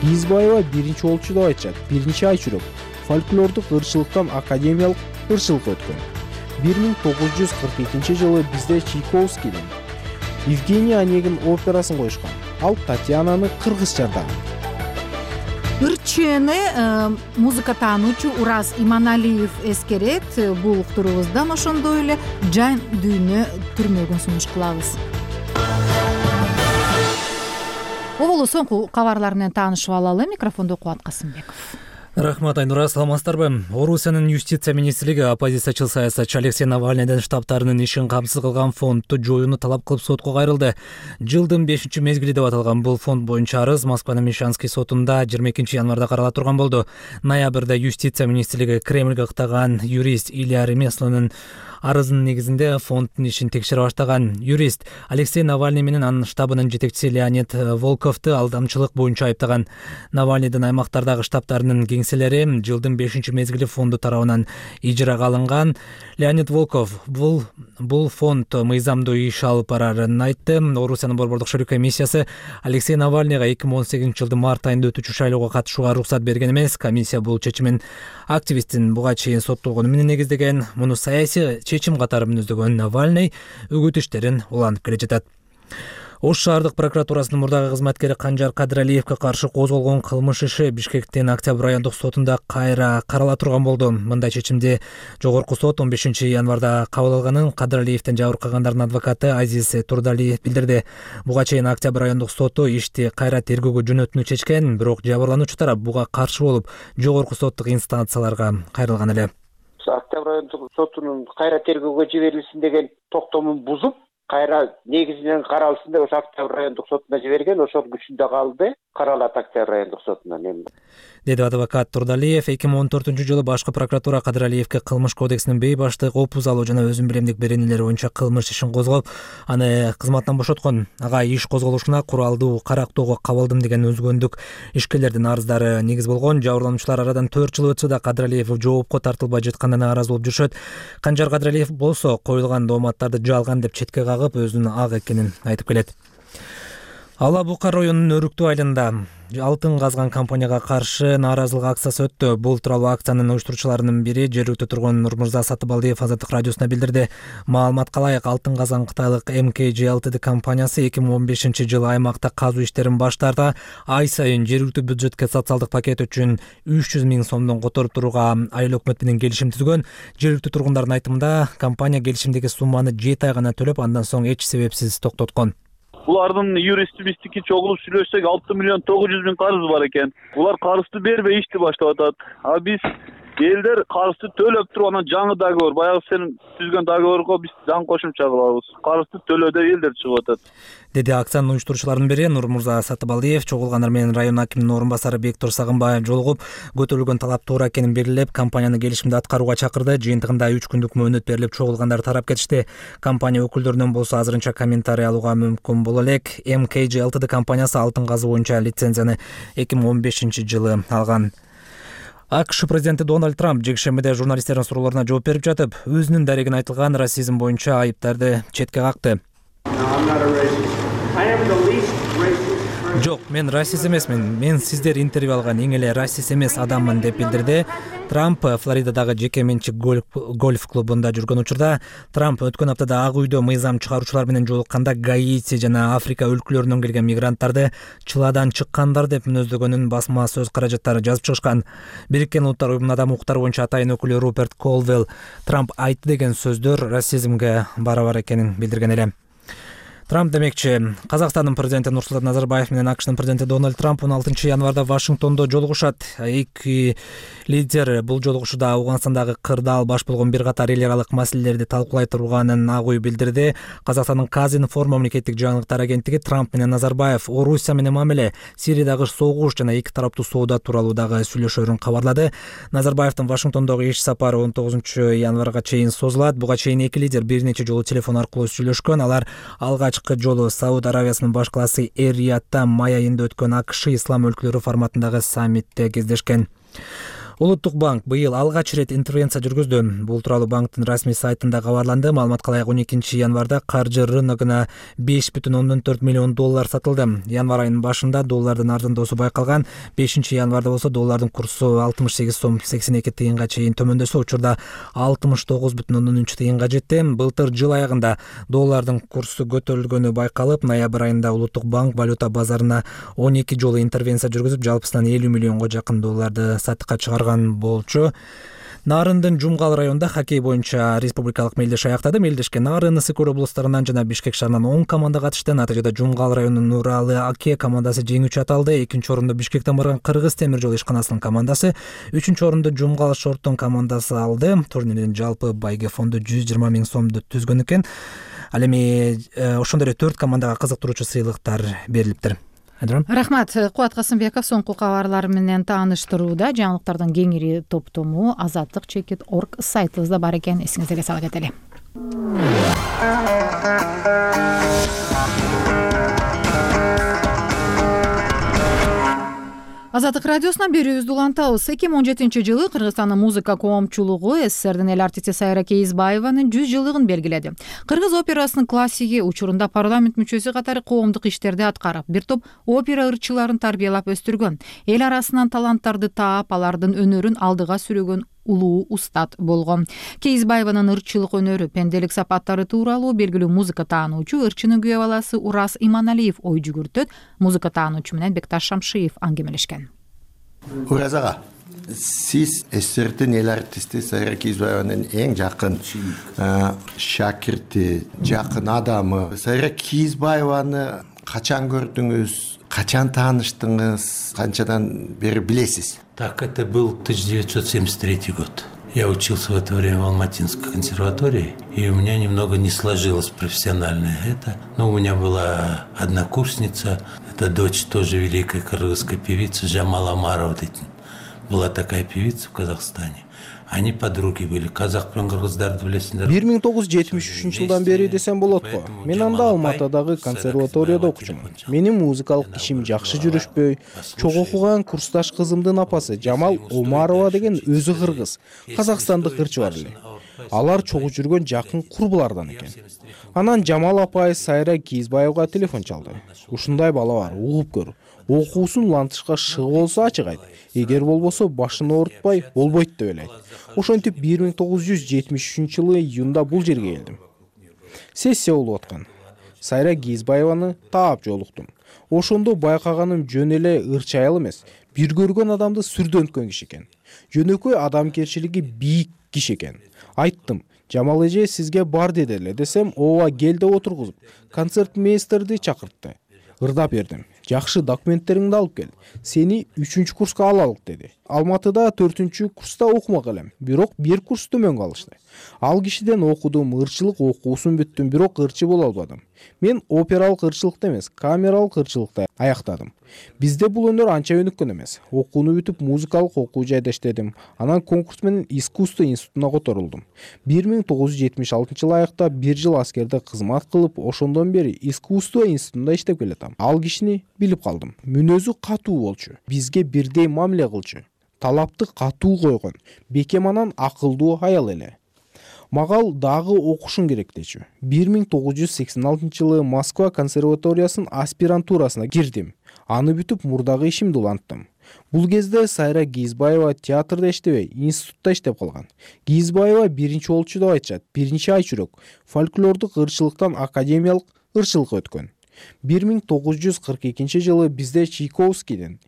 [SPEAKER 15] Кийизбаева биринчи болчу деп айтышат. Биринчи ай жүрөк фольклордук ырчылыктан академиялык ырчылык өткөн. 1942-жылы бизде Чайковскийдин Евгения Онегин операсын коюшкан. Ал Татьянаны кыргызча ырдаган.
[SPEAKER 1] Ырчыны музыка таануучу Ураз Иманалиев эскерет. Бул уктуруубуздан ошондой эле жан дүйнө түрмөгүн сунуш кылабыз. Оболу соңку кабарлар менен таанышып алалы. Микрофондо Кубат Касымбеков.
[SPEAKER 4] Рахмат, Айнура, саламатсыздарбы? Орусиянын юстиция министрлиги оппозициячыл саясатчы Алексей Навальныйдын штабтарынын ишин камсыз кылган фондду жоюуну талап кылып сотко кайрылды. Жылдын 5-мезгили деп аталган бул фонд боюнча арыз Москванын Мещанский сотунда 22 январда карала турган болду. Ноябрда юстиция министрлиги Кремльге кыттаган юрист Илья Ремеслонун арызынын негизинде фонддун ишин текшере баштаган. Юрист Алексей Навальный менен анын штабынын жетекчиси Леонид Волковду алдамчылык боюнча айыптаган. Навальныйдын аймактардагы штабтарынын кеңселери жылдын 5-мезгили фонду тарабынан ижрага алынган. Леонид Волков бул фонд мыйзамдуу иш алып барарын айтты. Орусиянын борбордук шерүү комиссиясы Алексей Навальныйга 2018-жылдын март айында өтүүчү шайлоого катышууга уруксат берген эмес. Комиссия бул чечимин активисттин буга чейин соттолгону менен негиздеген. Муну саясий чечим катары мүнөздөгөн Навальный үгүт иштерин улантып келе жатат. Ош шаардык прокуратурасынын мурдагы кызматкери Канжар Кадыралиевге каршы козголгон кылмыш иши Бишкектин Октябрь райондук сотунда кайра карала турган болду. Мындай чечимди жогорку сот 15 январда кабыл алганын Кадыралиевден жабыркагандардын адвокаты Азиз Турдалиев билдирди. Буга чейин Октябрь райондук соту ишти кайра тергөөгө жөнөтүүнү чечкен, бирок жабырлануучу тарап буга каршы болуп, жогорку соттук инстанцияларга кайрылган эле.
[SPEAKER 5] Октябрь райондук сотунун кайра тергөөгө жиберилсин деген токтомун бузуп, кайра негизинен каралсын деп ошо Октябрь райондук сотуна жиберген, ошол күчүндө калды, каралат Октябрь райондук сотунан эми.
[SPEAKER 4] Деди адвокат Турдалиев. 2014-жылы башкы прокуратура Кадыралиевге кылмыш кодексинин бейбаштык, опуз алуу жана өзүн билемдик беренелери боюнча кылмыш ишин козгоп, аны кызматтан бошоткон. Ага иш козголушуна куралдуу карактоого кабылдым деген өзгөндүк ишкерлердин арыздары негиз болгон. Жабырлануучулар арадан 4 жыл өтсө да Кадыралиев жоопко тартылбай жатканына нааразы болуп жүрүшөт. Канжар Кадыралиев болсо коюлган дооматтарды жалган деп четке кагып, өзүнүн ак экенин айтып келет. Ала Бука районунун Өрүктүү айылында алтын казган компанияга каршы нааразылык акциясы өттү. Бул тууралуу акциянын уюштуруучуларынын бири жергиликтүү тургун Нурмурза Сатыбалдиев Азаттык радиосуна билдирди. Маалыматка ылайык, алтын казган кытайлык MKG Ltd компаниясы 2015-жылы аймакта казуу иштерин баштарда ай сайын жергиликтүү бюджетке социалдык пакет үчүн 300 000 сомдон которуп турууга айыл өкмөтү менен келишим түзгөн. Жергиликтүү тургундардын айтымында, компания келишимдеги сумманы 7 ай гана төлөп, андан соң эч себепсиз токтоткон.
[SPEAKER 23] Булардын юристи биздики чогулуп сүйлөшсөк 6 миллион 900 000 карызы бар экен. Булар карызды бербей ишти баштап атат. А биз элдер карызды төлөп туруп, анан жаңы договор, баягы сен түзгөн договорго биз жаңы кошумча кылабыз. Карызды төлөө деп элдер чыгып атат.
[SPEAKER 4] Деди акциянын уюштуруучуларынын бири Нурмурза Сатыбалдиев. Чогулгандар менен район акиминин орун басары Бектур Сагынбаев жолугуп, көтөрүлгөн талап туура экенин белгилеп, компанияны келишимди аткарууга чакырды. Жыйынтыгында 3 күндүк мөөнөт берилип, чогулгандар тарап кетишти. Компания өкүлдөрүнөн болсо азырынча комментарий алууга мүмкүн боло элек. MKG Ltd компаниясы алтын казуу боюнча лицензияны 2015-жылы алган. АКШ президенти Дональд Трамп жекшембиде журналисттердин суроолоруна жооп берип жатып, өзүнүн дарегине айтылган расизм боюнча айыптарды четке какты. Жок, мен расист эмесмин. Мен сиздер интервью алган эң эле расист эмес адаммын деп билдирди. Трамп Флоридадагы жеке менчик гольф клубунда жүргөн учурда Трамп өткөн аптада Ак үйдө мыйзам чыгаруучулар менен жолукканда Гаити жана Африка өлкөлөрүнөн келген мигранттарды чыладан чыккандар деп мүнөздөгөнүн басма сөз каражаттары жазып чыгышкан. Бириккен Улуттар Уюмунун адам укуктары боюнча атайын өкүлү Руперт Колвелл Трамп айтты деген сөздөр расизмге барабар экенин билдирген эле. Трамп демекчи, Казакстандын президенти Нурсултан Назарбаев менен АКШнын президенти Дональд Трамп 16 январда Вашингтондо жолугушат. Эки лидер бул жолугушууда Афганстандагы кырдаал баш болгон бир катар эл аралык маселелерди талкуулай турганын Ак үй билдирди. Казакстандын Казинформ мамлекеттик жаңылыктар агенттиги Трамп менен Назарбаев Орусия менен мамиле, Сириядагы согуш жана эки тараптуу соода тууралуу дагы сүйлөшөрүн кабарлады. Назарбаевдин Вашингтондогу иш сапары 19 январга чейин созулат. Буга чейин эки лидер бир нече жолу телефон аркылуу сүйлөшкөн. Алар алгачкы жолу Сауд Аравиясынын баш калаасы Эр-Риядда май айында өткөн АКШ ислам өлкөлөрү форматындагы саммитте кездешкен. Улуттук банк быйыл алгач ирет интервенция жүргүздү. Бул тууралуу банктын расмий сайтында кабарланды. Маалыматка ылайык 12 январда каржы рыногуна 5,4 миллион доллар сатылды. Январ айынын башында доллардын арзандоосу байкалган. 5 январда болсо доллардын курсу 68 сом 82 тыйынга чейин төмөндөсө, учурда 69,3 тыйынга жетти. Былтыр жыл аягында доллардын курсу көтөрүлгөнү байкалып, ноябрь айында Улуттук банк валюта базарына 12 жолу интервенция жүргүзүп, жалпысынан 50 миллионго жакын долларды сатыкка чыгарган болчу. Нарындын Жумгал районунда хоккей боюнча республикалык мелдеш аяктады. Мелдешке Нарын, Ысык-Көл облустарынан жана Бишкек шаарынан 10 команда катышты. Натыйжада Жумгал районунун Нуралы Аке командасы жеңүүчү аталды. Экинчи орунду Бишкектен барган Кыргыз темир жол ишканасынын командасы, үчүнчү орунду Жумгал Шорттун командасы алды. Турнирдин жалпы байге фонду 120 миң сомду түзгөн экен. Ал эми ошондой эле 4 командага кызыктыруучу сыйлыктар берилиптир.
[SPEAKER 1] Рахмат. Кубат Касымбеков соңку кабарлар менен тааныштырууда. Жаңылыктардын кеңири топтому azatlyk.org сайтыбызда бар экен, эсиңизге сала кетели. Азаттык радиосунан берүүбүздү улантабыз. 2017 жылы Кыргызстандын музыка коомчулугу СССРдин эл артисти Сайра Кейизбаеванын 100 жылдыгын белгиледи. Кыргыз операсынын классиги, учурунда парламент мүчөсү катары коомдук иштерди аткарып, бир топ опера ырчыларын тарбиялап өстүргөн. Эл арасынан таланттарды таап, алардын өнөрүн алдыга сүрөгөн улуу устат болгон. Кейизбаеванын ырчылык өнөрү, пенделик сапаттары тууралуу белгилүү музыка таануучу ырчынын күйөө баласы Урас Иманалиев ой жүгүртөт. Музыка таануучу менен Бекташ Шамшиев аңгемелешкен.
[SPEAKER 20] Урас ага, сиз СССРдин эл артисти Сайра Кейизбаеванын эң жакын шакирти, жакын адамы. Сайра Кейизбаеваны качан көрдүңүз, качан тааныштыңыз, канчадан бери билесиз?
[SPEAKER 7] Так, это был 1973 год. Я учился в это время в Алматинской консерватории, и у меня немного не сложилось профессиональное это. Но у меня была однокурсница, это дочь тоже великой кыргызской певицы Жамал Амарова. Была такая певица в Казахстане. Они подруги были. Казак менен кыргыздарды билесиңер.
[SPEAKER 15] 1973 жылдан бери десем болот го. Мен анда Алматыдагы консерваторияда окучумун. Менин музыкалык ишим жакшы жүрүшпөй, чогуу окуган курсташ кызымдын апасы Жамал Омарова деген өзү кыргыз, казакстандык ырчы бар эле. Алар чогуу жүргөн жакын курбулардан экен. Анан Жамал апай Сайра Кейизбаевга телефон чалды. Ушундай бала бар, угуп көр. Окуусун улантышка шыгы болсо ачык айт. Эгер болбосо башын оорутпай болбойт деп эле айт. Ошентип 1973 жылы июнда бул жерге келдим. Сессия болуп аткан. Сайра Кейизбаеваны таап жолуктум. Ошондо байкаганым жөн эле ырчы айыл эмес, бир көргөн адамды сүрдөнткөн киши экен. Жөнөкөй адамгерчилиги бийик киши экен. Айттым, Жамал эже сизге бар деди эле десем, ооба кел деп отургузуп, концертмейстерди чакыртты. Ырдап бердим. Жакшы документтериңди алып кел. Сени 3-курска курска алалык деди. Алматыда 4-курста окумак элем. Бирок бир курс төмөн калышты. Ал кишиден окудум, ырчылык окуусун бүттүм, бирок ырчы боло албадым. Мен опералык ырчылыкты эмес, камералык ырчылыкты аяктадым. Бизде бул өнөр анча өнүккөн эмес. Окууну бүтүп, музыкалык окуу жайда иштедим. Анан конкурс менен искусство институтуна которулдум. 1976 жылы аяктап, 1 жыл аскерде кызмат кылып, ошондон бери искусство институтунда иштеп келатам. Ал кишини билип калдым. Мүнөзү катуу болчу. Бизге бирдей мамиле кылчу. талапты катуу койгон, бекем анан акылдуу аял эле. Мага ал дагы окушуң керек дечү. 1986-жылы Москва консерваториясынын аспирантурасына кирдим. Аны бүтүп мурдагы ишимди уланттым. Бул кезде Сайра Кийизбаева театрда иштебей, институтта иштеп калган. Кийизбаева биринчи болчу деп айтышат. Биринчи ай чүрөк фольклордук ырчылыктан академиялык ырчылык өткөн. 1942-жылы бизде Чайковскийдин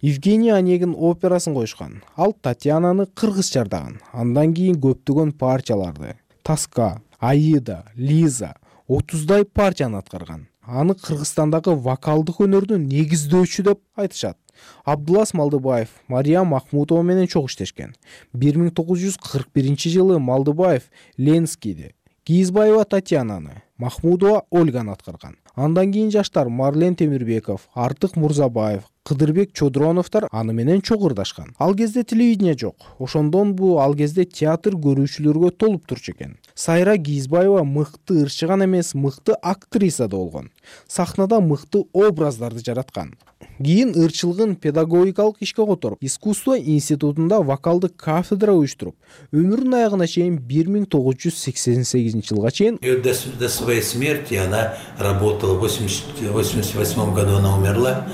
[SPEAKER 15] Евгений Онегин операсын коюшкан. Ал Татьянаны кыргыз чардаган. Андан кийин көптөгөн партияларды Тоска, Аида, Лиза 30дай партияны аткарган. Аны Кыргызстандагы вокалдык өнөрдүн негиздөөчү деп айтышат. Абдулас Малдыбаев Мария Махмутова менен чогуу иштешкен. 1941-жылы Малдыбаев Ленскийди, Кийизбаева Татьянаны, Махмудова Ольганы аткарган. Андан кийин жаштар Марлен Темирбеков, Артык Мурзабаев, Кыдырбек Чодроновдор аны менен чогуу ырдашкан. Ал кезде телевидение жок. Ошондон бул ал кезде театр көрүүчүлөргө толуп турчу экен. Сайра Кийизбаева мыкты ырчы гана эмес, мыкты актриса да болгон. Сахнада мыкты образдарды жараткан. Кийин ырчылыгын педагогикалык ишке которуп, искусство институтунда вокалдык кафедра уюштуруп, өмүрүнүн аягына чейин 1988-жылга чейин
[SPEAKER 7] до своей смерти она работала. В 1988 году она умерла,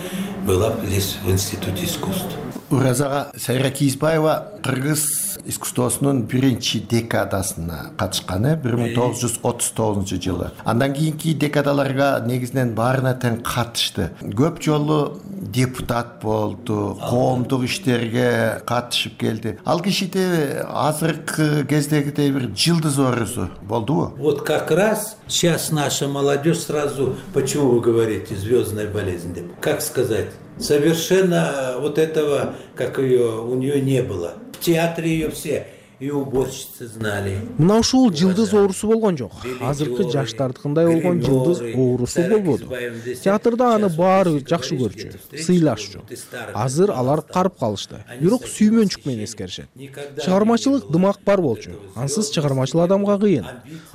[SPEAKER 7] была здесь в институте искусств.
[SPEAKER 17] Уразага Сайра Кийизбаева кыргыз искусствосунун биринчи декадасына катышкан 1939-жылы. Андан кийинки декадаларга негизинен баарына тең катышты. Көп жолу депутат болду, коомдук иштерге катышып келди. Ал кишиде азыркы кездегидей бир жылдыз образу болдубу?
[SPEAKER 7] Вот как раз сейчас наша молодежь сразу, почему вы говорите звездная болезнь? Как сказать? Совершенно вот этого, как ее, у нее не было. В театре ее все и уборщицы знали.
[SPEAKER 15] Мына ушул жылдыз оорусу болгон жок. Азыркы жаштардыкындай болгон жылдыз оорусу болбоду. Театрда аны баары жакшы көрчү, сыйлашчу. Азыр алар карып калышты. Бирок сүймөнчүк менен эскеришет. Чыгармачылык дымак бар болчу. Ансыз чыгармачыл адамга кыйын.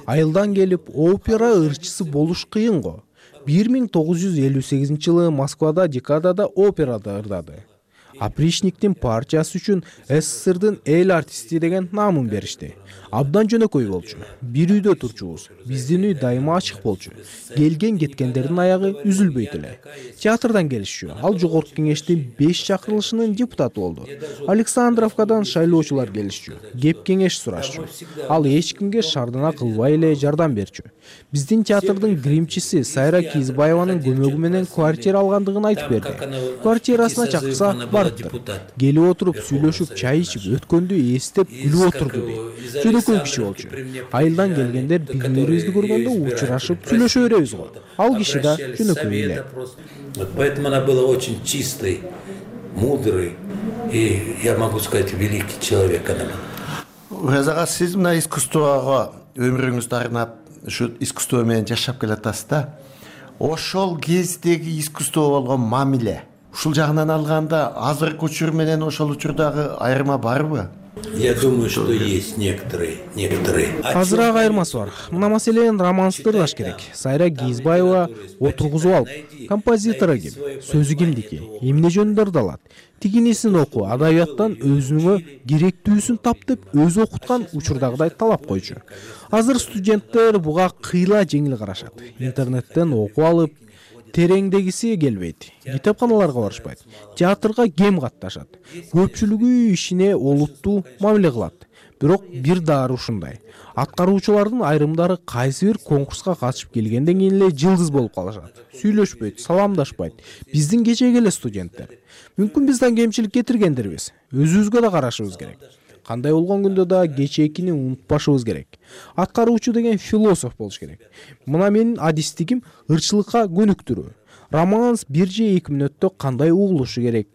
[SPEAKER 15] Айылдан келип опера ырчысы болуш кыйын го. 1958-жылы Москвада декадада операда ырдады. Опричниктин партиясы үчүн СССРдын эл артисти деген наамын беришти. Абдан жөнөкөй болчу. Бир үйдө турчубуз. Биздин үй дайыма ачык болчу. Келген кеткендердин аягы үзүлбөйт эле. Театрдан келишчү. Ал жогорку кеңештин 5 чакырылышынын депутаты болду. Александровкадан шайлоочулар келишчү. Кеп кеңеш сурашчу. Ал эч кимге шардана кылбай эле жардам берчү. Биздин театрдын гримчиси Сайра Кийизбаеванын көмөгү менен квартира алгандыгын айтып берди. Квартирасына чакырса барыптыр. Келип отуруп сүйлөшүп, чай ичип, өткөндү эстеп күлүп отурду дейт. Жөнөкөй киши болчу. Айылдан келгендер бири-бирибизди көргөндө учурашып сүйлөшө беребиз го. Ал киши да жөнөкөй эле.
[SPEAKER 7] Поэтому она была очень чистой, мудрой и, я могу сказать, великий человек она была.
[SPEAKER 17] Уразага сиз мына искусствого өмүрүңүздү арнап, ушу искусство менен жашап келатасыз да. Ошол кездеги искусство болгон мамиле, ушул жагынан алганда азыркы учур менен ошол учурдагы айырма барбы?
[SPEAKER 7] Я думаю, что есть некоторые.
[SPEAKER 15] Азыраак айырмасы бар. Мына маселени романсты ырдаш керек. Сайра Кийизбаева отургузуп алып, композитору ким, сөзү кимдики, эмне жөнүндө ырдалат. Тигинисин оку, адабияттан өзүнө керектүүсүн тап деп өзү окуткан учурдагыдай талап койчу. Азыр студенттер буга кыйла жеңил карашат. Интернеттен окуп алып, тереңдегиси келбейт. Китепканаларга барышпайт. Театрга кем катташат. Көпчүлүгү ишине олуттуу мамиле кылат. Бирок бир дары ушундай. Аткаруучулардын айрымдары кайсы бир конкурска катышып келгенден кийин эле жылдыз болуп калышат. Сүйлөшпөйт, саламдашпайт. Биздин кечеги эле студенттер. Мүмкүн бизден кемчилик кетиргендирбиз. Өзүбүзгө да карашыбыз керек. Кандай болгон күндө да кечээкини унутпашыбыз керек. Аткаруучу деген философ болуш керек. Мына менин адистигим ырчылыкка көнүктүрүү. Романс 1 же 2 мүнөттө кандай угулушу керек.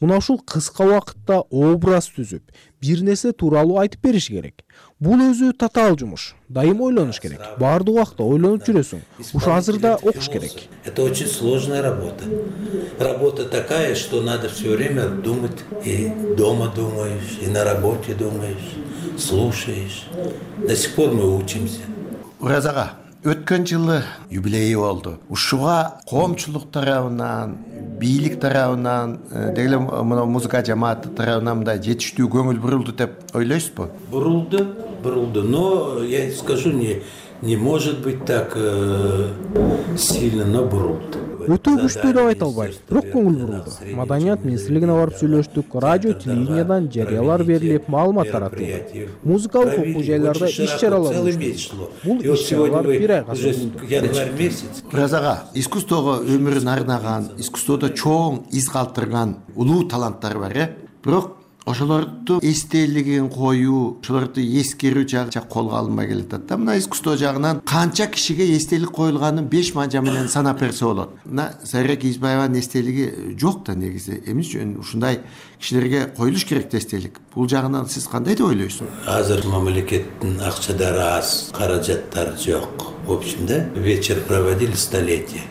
[SPEAKER 15] Мына ушул кыска убакытта образ түзүп, бир нерсе тууралуу айтып бериш керек. Бул өзү татаал жумуш. Дайым ойлонуш керек. Баардык убакта ойлонуп жүрөсүң. Ушу азырда окуш керек.
[SPEAKER 7] Это очень сложная работа. Работа такая, что надо все время думать. И дома думаешь, и на работе думаешь, слушаешь. До сих пор мы учимся.
[SPEAKER 17] Уразага, өткөн жылы юбилейи болду. Ушуга коомчулук тарабынан, бийлик тарабынан, деги эле мына музыка жамааты тарабынан мындай жетиштүү көңүл бурулду деп ойлойсузбу?
[SPEAKER 7] Бурулду, но я скажу, не может быть так сильно, но бурулду.
[SPEAKER 15] Өтө күчтүү деп айта албайм, бирок көңүл бурулду. Маданият министрлигине барып сүйлөштүк, радио, телевидениядан жарыялар берилип, маалымат таратылды. Музыкалык окуу жайларда иш-чаралар өткөрүлдү. Бул иш-чаралар бир айга созулду.
[SPEAKER 17] Ураз ага, искусствого өмүрүн арнаган, искусстводо чоң из калтырган улуу таланттар бар, бирок ошолордун эстелигин коюу, ошолорду эскерүү жагы колго алынбай келатат да. Мына искусство жагынан канча кишиге эстелик коюлганын 5 манжа менен санап берсе болот. Мына Сайра Кийизбаеванын эстелиги жок да негизи. Эмне үчүн ушундай кишилерге коюлуш керек эстелик? Бул жагынан сиз кандай деп ойлойсуз?
[SPEAKER 7] Азыр мамлекеттин акчадары аз, каражаттары жок. В общем, да, вечер проводили столетие.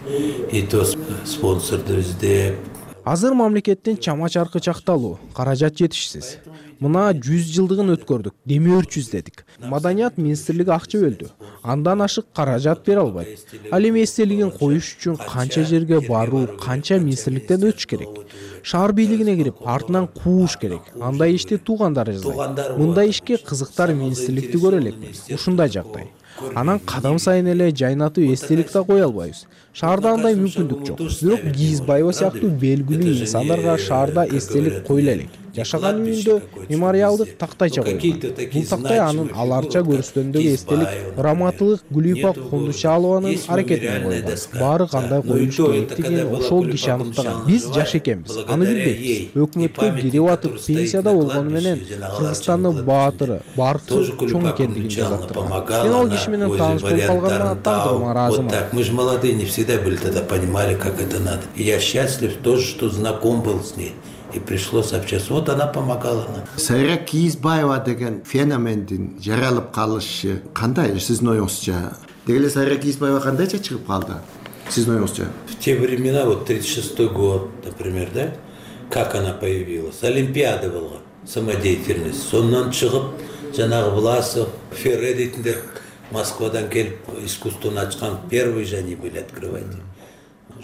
[SPEAKER 7] И то спонсорду издеп.
[SPEAKER 15] Азыр мамлекеттин чама-чаркы чакталуу, каражат жетишсиз. Мына 100 жылдыгын өткөрдүк, демөөрчү издедик. Маданият министрлиги акча бөлдү. Андан ашык каражат бере албайт. Ал эми эстелигин коюш үчүн канча жерге баруу, канча министрликтен өтүш керек. Шаар бийлигине кирип, артынан кууш керек. Андай ишти туугандары жасайт. Мындай ишке кызыктар министрликти көрө элекпиз. Ушундай жагдай. Анан кадам сайын эле жайнатып эстелик да кое албайбыз. Шаарда андай мүмкүндүк жок. Бирок Кийизбаева сыяктуу белгилүү инсандарга шаарда эстелик коюла элек. Жашаган үйүндө мемориалдык тактайча коюлган. Бул тактай анын аларча көрүстөнүндөгү эстелик Раматылык Гүлипа Кондучалованын аракетинен коюлган. Баары кандай коюлуш керектигин ошол киши аныктаган. Биз жаш экенбиз, аны билбейбиз. Өкмөткө кирип атып пенсияда болгону менен Кыргызстандын баатыры, баркы чоң экендигин жазат. Мен ал киши менен тааныш болуп калганына тагдырыма ыраазымын.
[SPEAKER 7] Так, мы же молодые, не всегда были тогда понимали, как это надо. И я счастлив тоже, что знаком был с ней. И пришлось общаться. Вот она помогала нам.
[SPEAKER 17] Сайра Кийизбаева деген феномендин жаралып калышы кандай сиздин оюңузча? Деги эле Сайра Кийизбаева кандайча чыгып калды сиздин оюңузча?
[SPEAKER 7] В те времена, вот 36-й год, например, да, как она появилась? Олимпиада была, самодеятельность. Сондан чыгып, жанагы Власов, Ферре дейтиндер Москвадан келип искусствону ачкан первые же они были, открывайте.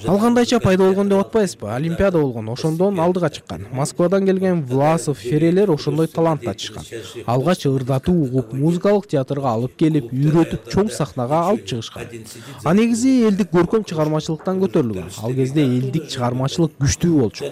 [SPEAKER 15] Ал кандайча пайда болгон деп атпайсызбы? Олимпиада болгон, ошондон алдыга чыккан. Москвадан келген Власов, Ферелер ошондой талант ачышкан. Алгач ырдатуу угуп, музыкалык театрга алып келип, үйрөтүп, чоң сахнага алып чыгышкан. А негизи элдик көркөм чыгармачылыктан көтөрүлгөн. Ал кезде элдик чыгармачылык күчтүү болчу.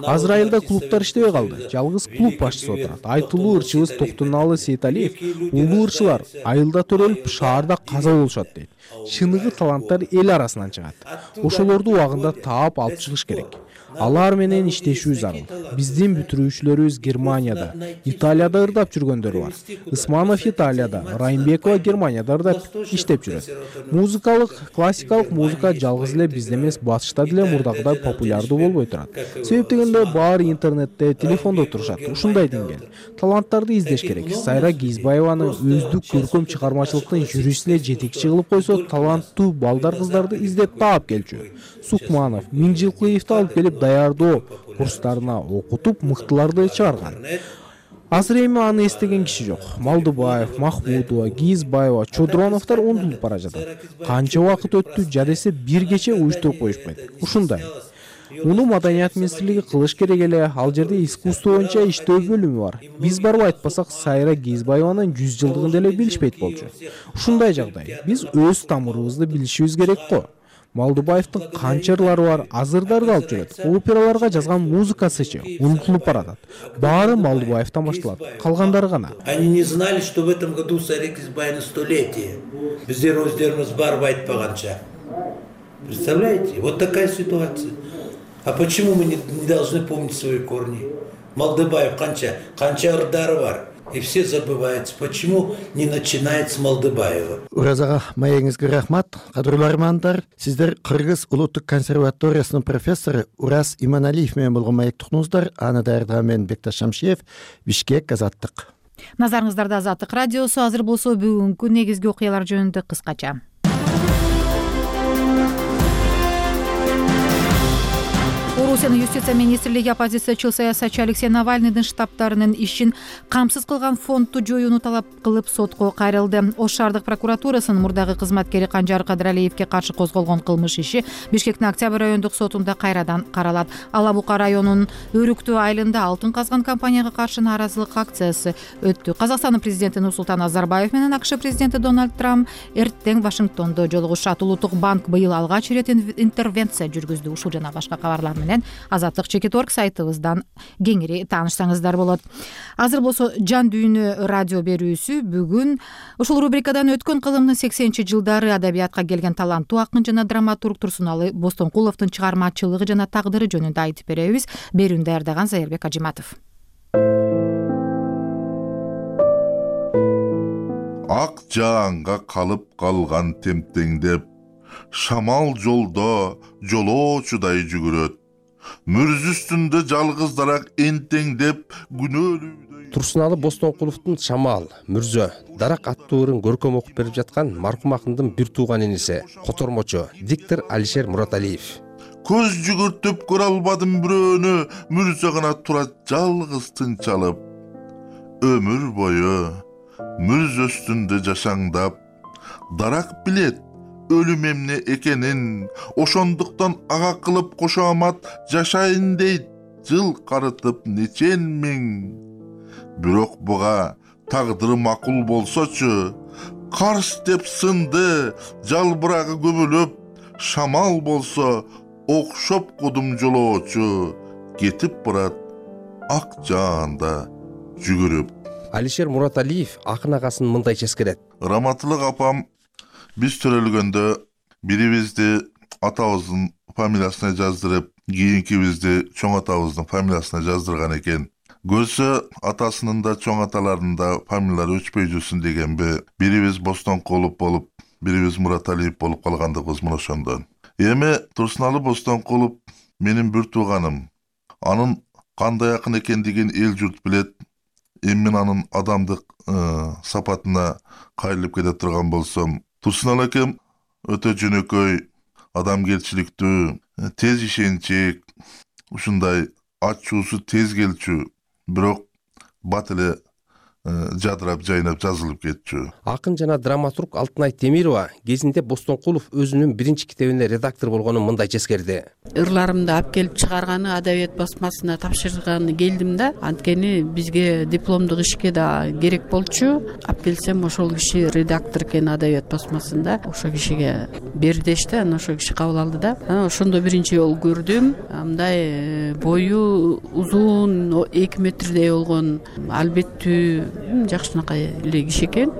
[SPEAKER 15] Азыр айылда клубтар иштебей калды. Жалгыз клуб башчысы отурат. Айтылуу ырчыбыз Токтунаалы Сейталиев, улуу ырчылар айылда төрөлүп, шаарда каза болушат дейт. Чыныгы таланттар эл арасынан чыгат. Ошолорду убагында таап алып чыгыш керек. Алар менен иштешүү зарыл. Биздин бүтүрүүчүлөрүбүз Германияда, Италияда ырдап жүргөндөр бар. Ысманов Италияда, Райымбекова Германияда ырдап иштеп жүрөт. Музыкалык, классикалык музыка жалгыз эле бизде эмес, батышта деле мурдагыдай популярдуу болбой турат. Себеп дегенде баары интернетте, телефондо турушат. Ушундай деңгээл. Таланттарды издеш керек. Сайра Кийизбаеваны өздүк көркөм чыгармачылыктын жүрүшүнө жетекчи кылып койсо, таланттуу балдар кыздарды издеп таап келчү. Сукманов, Миңжилкулиевди алып келип даярдоо курстарына окутуп, мыктыларды чыгарган. Азыр эми аны эстеген киши жок. Малдыбаев, Махмудова, Кийизбаева, Чодроновдор ондулуп бара жатат. Канча убакыт өттү, жадесе бир кече уюштуруп коюшпайт. Ушундай. Муну Маданият министрлиги кылыш керек эле. Ал жерде искусство боюнча иштөө бөлүмү бар. Биз барып айтпасак, Сайра Кийизбаеванын 100 жылдыгын деле билишпейт болчу. Ушундай жагдай. Биз өз тамырыбызды билишибиз керек го. Малдыбаевдин канча ырлары бар, азырдарды алып жүрөт. Операларга жазган музыкасычы унутулуп баратат. Баары Малдыбаевден башталат, калгандары гана.
[SPEAKER 7] Они не знали, что в этом году Сайра Кийизбаевна 100-летие. Биздер өздөрүбүз барып айтпаганча. Представляете? Вот такая ситуация. А почему мы не должны помнить свои корни? Малдыбаев канча ырдары бар. И все забываются. Почему не начинает с Малдыбаева?
[SPEAKER 17] Ураз ага, маегиңизге рахмат. Кадырлуу армандар, сиздер Кыргыз улуттук консерваториясынын профессору Ураз Иманалиев менен болгон маектуктуңуздар. Аны даярдаган мен Бекташ Шамшиев, Бишкек, Азаттык.
[SPEAKER 1] Назарыңыздарда Азаттык радиосу. Азыр болсо бүгүнкү негизги окуялар жөнүндө кыскача. Русиянын юстиция министрлиги оппозициячыл саясатчы Алексей Навальныйдын штабтарынын ишин камсыз кылган фондду жоюуну талап кылып сотко кайрылды. Ош шаардык прокуратурасынын мурдагы кызматкери Канжар Кадыралиевге каршы козголгон кылмыш иши Бишкектин Октябрь райондук сотунда кайрадан каралат. Ала Бука районунун Өрүктүү айылында алтын казган компанияга каршы нааразылык акциясы өттү. Казакстандын президенти Нурсултан Назарбаев менен АКШ президенти Дональд Трамп эртең Вашингтондо жолугушат. Улуттук банк быйыл алгач ирет интервенция жүргүздү. Ушул жана башка кабарлар менен Азаттык Чекит.орг сайтыбыздан кеңири таанышсаңыздар болот. Азыр болсо Жан дүйнө радио берүүсү бүгүн ушул рубрикадан өткөн кылымдын 80 жылдары адабиятка келген таланттуу акын жана драматург Турсуналы Бостонкуловдун чыгармачылыгы жана тагдыры жөнүндө айтып беребиз. Берүүнү даярдаган Зайырбек Ажиматов.
[SPEAKER 8] Ак жаанга калып калган темтеңдеп, шамал жолдо жолоочудай жүгүрөт. Мүрз үстүндө жалгыздараак энтеңдеп күнөөлүүдөй.
[SPEAKER 19] Турсуналы Бостонкуловдун Шамал, Мүрзө, Дарак аттуу ырын көркөм окуп берип жаткан маркум акындын бир тууган иниси, котормочу, диктор Алишер Мураталиев.
[SPEAKER 8] Көз жүгүртүп көрө албадым бирөөнү, Мүрзө гана турат жалгыз тынчалып. Өмүр бою мүрз үстүндө жашаңдап, Дарак билет өлүм эмне экенин, ошондуктан ага кылып кошомат жашайын дейт, жыл карытып нечен миң. Бирок буга тагдыры макул болсочу, карс деп сынды, жалбырагы көбөлөп, шамал болсо окшоп кудум жолоочу, кетип барат ак жаанда жүгүрүп.
[SPEAKER 19] Алишер Мураталиев акын агасын мындай ческерет.
[SPEAKER 8] Раматылык апам биз төрөлгөндө бирибизди атабыздын фамилиясына жаздырып, кийинкибизди чоң атабыздын фамилиясына жаздырган экен. Көрсө атасынын да чоң аталарынын да фамилиялары өчпөй жүрсүн дегенби, бирибиз Бостонкулов болуп, бирибиз Мураталиев болуп калгандыгыбыз мына ошондон. Эми Турсуналы Бостонкулов менин бир тууганым. Анын кандай акын экендигин эл журт билет. Эми мен анын адамдык сапатына кайрылып кете турган болсом, Турсуналы акем өтө жөнөкөй, адамгерчиликтүү, тез ишенчек, ушундай ачуусу тез келчү, бирок бат эле жадырап жайнап жазылып кетчү.
[SPEAKER 19] Акын жана драматург Алтынай Темирова кезинде Бостонкулов өзүнүн биринчи китебине редактор болгонун мындай ческерди.
[SPEAKER 10] Ырларымды алып келип чыгарганы адабият басмасына тапшырганы келдим да, анткени бизге дипломдук ишке да керек болчу. Алып келсем ошол киши редактор экен адабият басмасында, ошол кишиге бер дешти, анан ошол киши кабыл алды да. Анан ошондо биринчи жолу көрдүм. Мындай бою узун 2 метрдей болгон, албеттүү жакшынакай эле киши экен.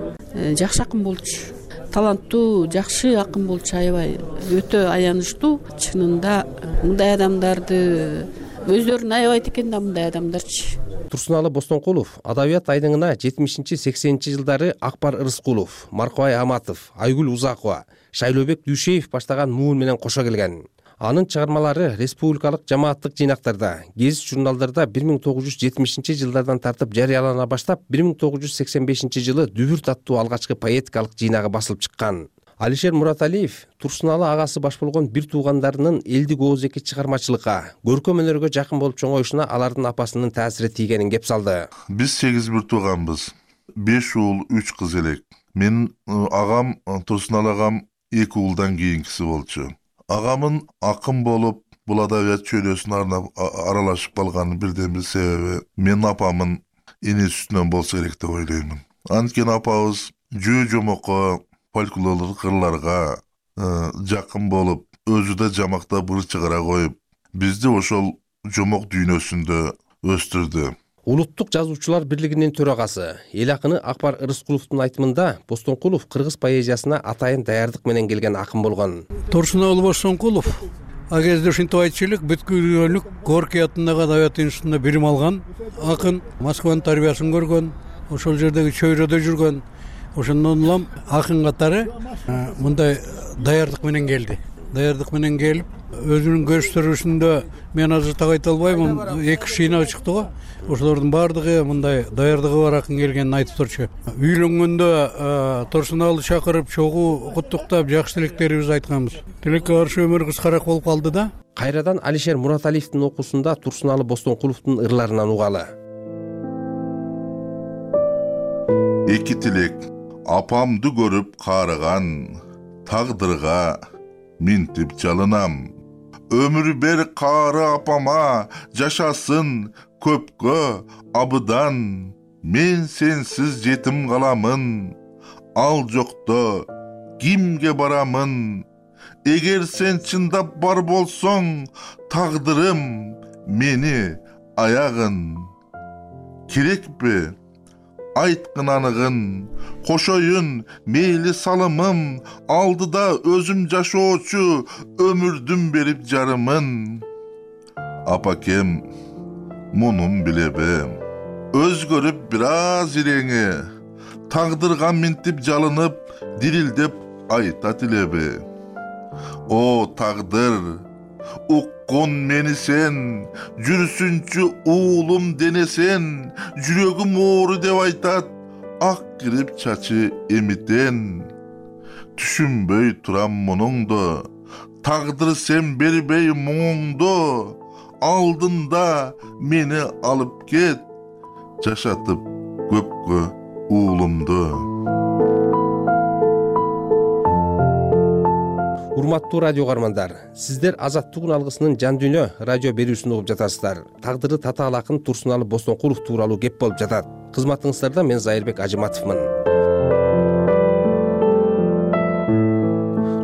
[SPEAKER 10] Жакшы акын болчу. Таланттуу, жакшы акын болчу, аябай өтө аянычтуу. Чынында мындай адамдарды өздөрүн аябайт экен да, мындай адамдарчы.
[SPEAKER 19] Турсуналы Бостонкулов адабият айдыңына 70-80 жылдары Акбар Ырыскулов, Маркубай Аматов, Айгүл Узакова, Шайлообек Дүйшеев баштаган муун менен кошо келген. Анын чыгармалары республикалык жамааттык жыйнактарда, гезит журналдарда 1970 жылдардан тартып жарыялана баштап, 1985 жылы Дүбүрт аттуу алгачкы поэтикалык жыйнагы басылып чыккан. Алишер Мураталиев Турсуналы агасы баш болгон бир туугандарынын элдик ооз-эки чыгармачылыкка, көркөм өнөргө жакын болуп чоңоюшуна алардын апасынын таасири тийгенин кеп салды.
[SPEAKER 8] Биз 8 бир тууганбыз. 5 уул, 3 кыз элек. Менин агам, Турсуналы агам 2 уулдан кийинкиси болчу. Агамын акын болуп, бул адабият чөйрөсүнө аралашып калганын бирден бир себеби менин апамын эне сүтүнөн болсо керек деп ойлоймун. Анткени апабыз жөө жомокко, фольклорлук ырларга жакын болуп, өзү да жамактап ыр чыгара коюп, бизди ошол жомок дүйнөсүндө өстүрдү.
[SPEAKER 19] Улуттук жазуучулар бирлигинин төрагасы, эл акыны Акбар Ырыскуловдун айтымында Бостонкулов кыргыз поэзиясына атайын даярдык менен келген акын болгон.
[SPEAKER 11] Турсуналы Бостонкулов ал кезде ушинтип айтчу элек, бүткүлөнүк Горький атындагы адабият институтунда билим алган акын, Москванын тарбиясын көргөн, ошол жердеги чөйрөдө жүргөн. Ошондон улам акын катары мындай даярдык менен келди. Даярдык менен келип, өзүнүн көрсөтүшүндө мен азыр так айта албайм, 2 шыйнак чыкты го. Ошолордун баардыгы мындай даярдыгы бар акын келгенин айтып турчу. Үйлөнгөндө Турсуналды чакырып чогуу куттуктап, жакшы тилектерибизди айтканбыз. Тилекке каршы өмүр кыскараак болуп калды да.
[SPEAKER 19] Кайрадан Алишер Мураталиевдин окуусунда Турсуналы Бостоnkуловдун ырларынан угалы.
[SPEAKER 8] Эки тилек апамды көрүп каарыган, тагдырга минтип жалынам. Өмүр бер каары апама, жашасын көпкө абыдан. Мен сенсиз жетим каламын, ал жокто кимге барамын? Эгер сен чындап бар болсоң, тагдырым мени аягын. Керекпи? Айткын аныгын, кошоюн мейли салымым, алдыда өзүм жашоочу өмүрдүн берип жарымын. Апакем, мунун билебе, өзгөрүп бир аз иреңи, тагдырга минтип жалынып, дирилдеп айта тилебе. О тагдыр, уккун мени сен, жүрсүнчү уулум денесен, жүрөгүм оору деп айтат, ак кирип чачы эмитен. Түшүнбөй турам мунуңду, тагдыр сен бербей муңуңду, алдында мени алып кет, жашатып көпкө уулумду.
[SPEAKER 19] Урматтуу радио каармандар, сиздер Азаттыгын алгысынын Жан дүйнө радио берүүсүн угуп жатасыздар. Тагдыры татаал акын Турсуналы Бостоnkулов тууралуу кеп болуп жатат. Кызматыңыздарда мен Зайырбек Ажыматовмун.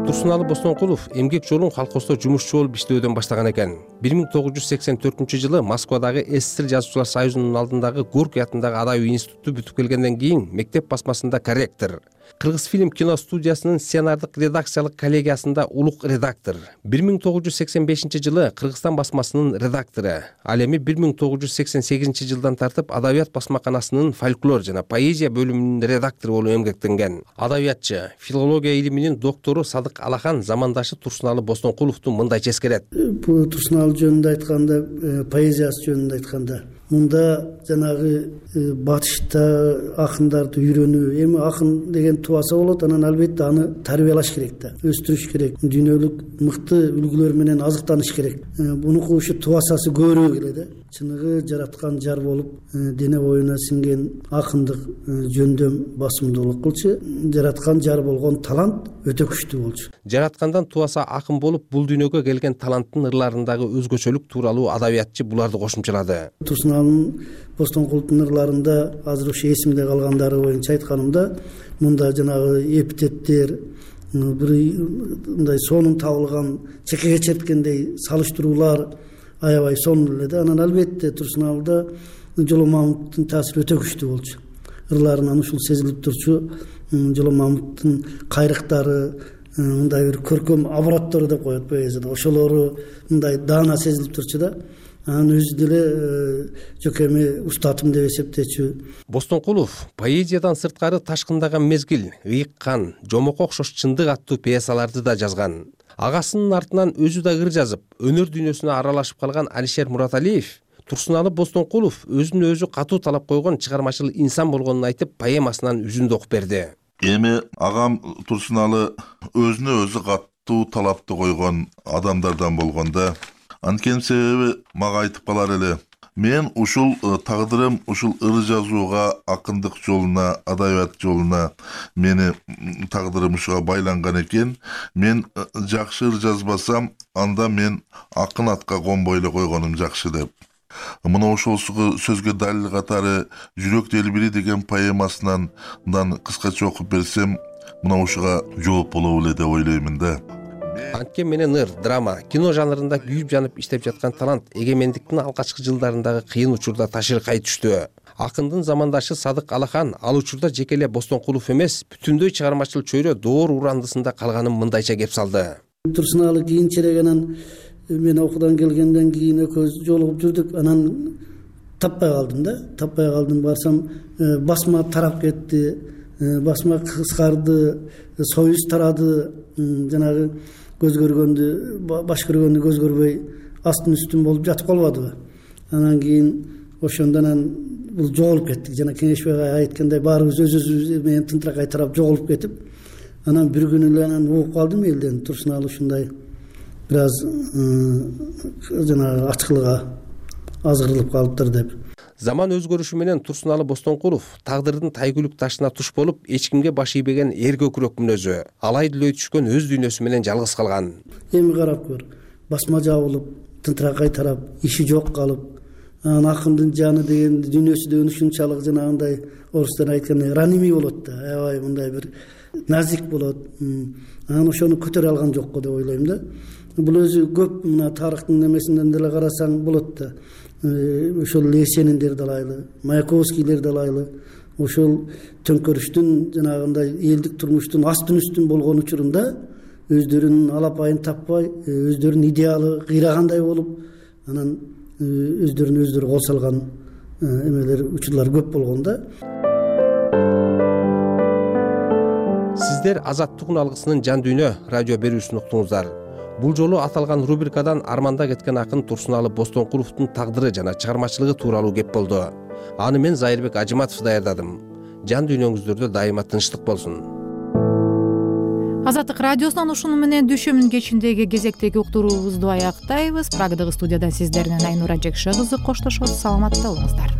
[SPEAKER 19] Турсуналы Бостоnkулов эмгек жолун колхоздо жумушчу болуп иштөөдөн баштаган экен. 1984-жылы Москвадагы СССР жазуучулар союзунун алдындагы Горький атындагы адабий институтту бүтүп келгенден кийин мектеп басмасында корректор, Кыргыз фильм кино студиясынын сценардык редакциялык коллегиясында улук редактор, 1985-жылы Кыргызстан басмасынын редактору, ал эми 1988-жылдан тартып адабият басмаканасынын фольклор жана поэзия бөлүмүнүн редактору болуп эмгектенген. Адабиятчы, филология илиминин доктору Садык Алахан замандашы Турсуналы Бостоnkуловду мындайча эскерет.
[SPEAKER 3] Бул Турсуналы жөнүндө айтканда, поэзиясы жөнүндө айтканда, мында жанагы батышта акындарды үйрөнүү, эми акын деген тубаса болот, анан албетте аны тарбиялаш керек да, өстүрүш керек, дүйнөлүк мыкты үлгүлөр менен азыктаныш керек. Бунуку ушу тубасасы көбүрөөк эле да. Чыныгы жараткан жар болуп, дене боюна сиңген акындык жөндөм басымдуулук кылчу, жараткан жар болгон талант өтө күчтүү болчу.
[SPEAKER 19] Жараткандан тубаса акын болуп, бул дүйнөгө келген таланттын ырларындагы өзгөчөлүк тууралуу адабиятчы буларды кошумчалады.
[SPEAKER 3] Турсуналдын Бостоnkуловдун ырларында азыр ушу эсимде калгандары боюнча айтканымда, мында жанагы эпитеттер, бир мындай сонун табылган, чекеге черткендей салыштыруулар аябай сонун эле да. Анан албетте Турсуналда Жоло Мамыттын таасири өтө күчтүү болчу. Ырларынан ушул сезилип турчу. Жоло Мамыттын кайрыктары, мындай бир көркөм обороттору деп коет поэзияда, ошолору мындай даана сезилип турчу да. Анан өзү деле жокеми устатым деп эсептечү.
[SPEAKER 19] Бостоnkулов поэзиядан сырткары Ташкындаган мезгил, Ыйыккан, Жомокко окшош чындык аттуу пьесаларды да жазган. Агасынын артынан өзү да ыр жазып, өнөр дүйнөсүнө аралашып калган Алишер Мураталиев Турсуналы Бостоnkулов өзүнө өзү катуу талап койгон чыгармачыл инсан болгонун айтып, поэмасынан үзүндү окуп берди.
[SPEAKER 8] Эми агам Турсуналы өзүнө өзү катуу талапты койгон адамдардан болгондо, анткени себеби мага айтып калар эле. Мен ушул тагдырым ушул ыр жазууга, акындык жолуна, адабият жолуна мени тагдырым ушуга байланган экен. Мен жакшы ыр жазбасам, анда мен акын атка конбой эле койгонум жакшы деп. Мына ошол сөзгө далил катары Жүрөк делбири деген поэмасынан кыскача окуп берсем, мына ушуга жооп болобу эле деп ойлоймун да.
[SPEAKER 19] Анткен менен ыр, драма, кино жанрында күйүп жанып иштеп жаткан талант эгемендиктин алгачкы жылдарындагы кыйын учурда ташыркай түштү. Акындын замандашы Садык Алахан ал учурда жеке эле Бостоnkулов эмес, бүтүндөй чыгармачыл чөйрө доор урандысында калганын мындайча кеп салды.
[SPEAKER 3] Турсуналы кийинчерээк анан мен окуудан келгенден кийин экөөбүз жолугуп жүрдүк. Анан таппай калдым. Барсам басма тарап кетти, басма кыскарды, союз тарады, жанагы көз көргөндү баш көргөндү көз көрбөй астын үстүн болуп жатып калбадыбы. Анан кийин ошондо анан бул жоголуп кеттик. Жана Кеңешбек агай айткандай баарыбыз өзүбүз менен тынтыракай тарап жоголуп кетип, анан бир күнү эле анан угуп калдым элден Турсуналы ушундай бир аз жанагы ачкылыгга азгырылып калыптыр деп.
[SPEAKER 19] Заман өзгөрүшү менен Турсуналы Бостоnkулов тагдырдын тайгүлүк ташына туш болуп, эч кимге баш ийбеген эр көкүрөк мүнөзү, алай дүлөй түшкөн өз дүйнөсү менен жалгыз калган.
[SPEAKER 3] Эми карап көр, басма жабылып, тынтыракай тарап, иши жок калып, анан акындын жаны деген дүйнөсү деген ушунчалык жанагындай орустар айткандай раними болот да, аябай мындай бир назик болот. Анан ошону көтөрө алган жок го деп ойлойм да. Бул өзү көп мына тарыхтын немесинен деле карасаң болот да. Ошол Есениндер далайлы, Маяковскийлер далайлы, ошол төңкөрүштүн жанагындай элдик турмуштун астын үстүн болгон учурунда өздөрүнүн алапайын таппай, өздөрүнүн идеалы кыйрагандай болуп, анан өздөрү кол салган эмелер учурлар көп болгон да.
[SPEAKER 19] Сиздер Азаттык алгысынын жан дүйнө радио берүүсүн уктуңуздар. Бул жолу аталган рубрикадан арманда кеткен акын Турсуналы Бостоnkуловдун тагдыры жана чыгармачылыгы тууралуу кеп болду. Аны мен Зайырбек Ажыматов даярдадым. Жан дүйнөңүздөрдө дайыма тынчтык болсун.
[SPEAKER 1] Азаттык радиосунан ушуну менен дүйшөмүн кечиндеги кезектеги уктуруубузду аяктайбыз. Прагадагы студиядан сиздер менен Айнура Жекше кызы коштошот. Саламатта болуңуздар.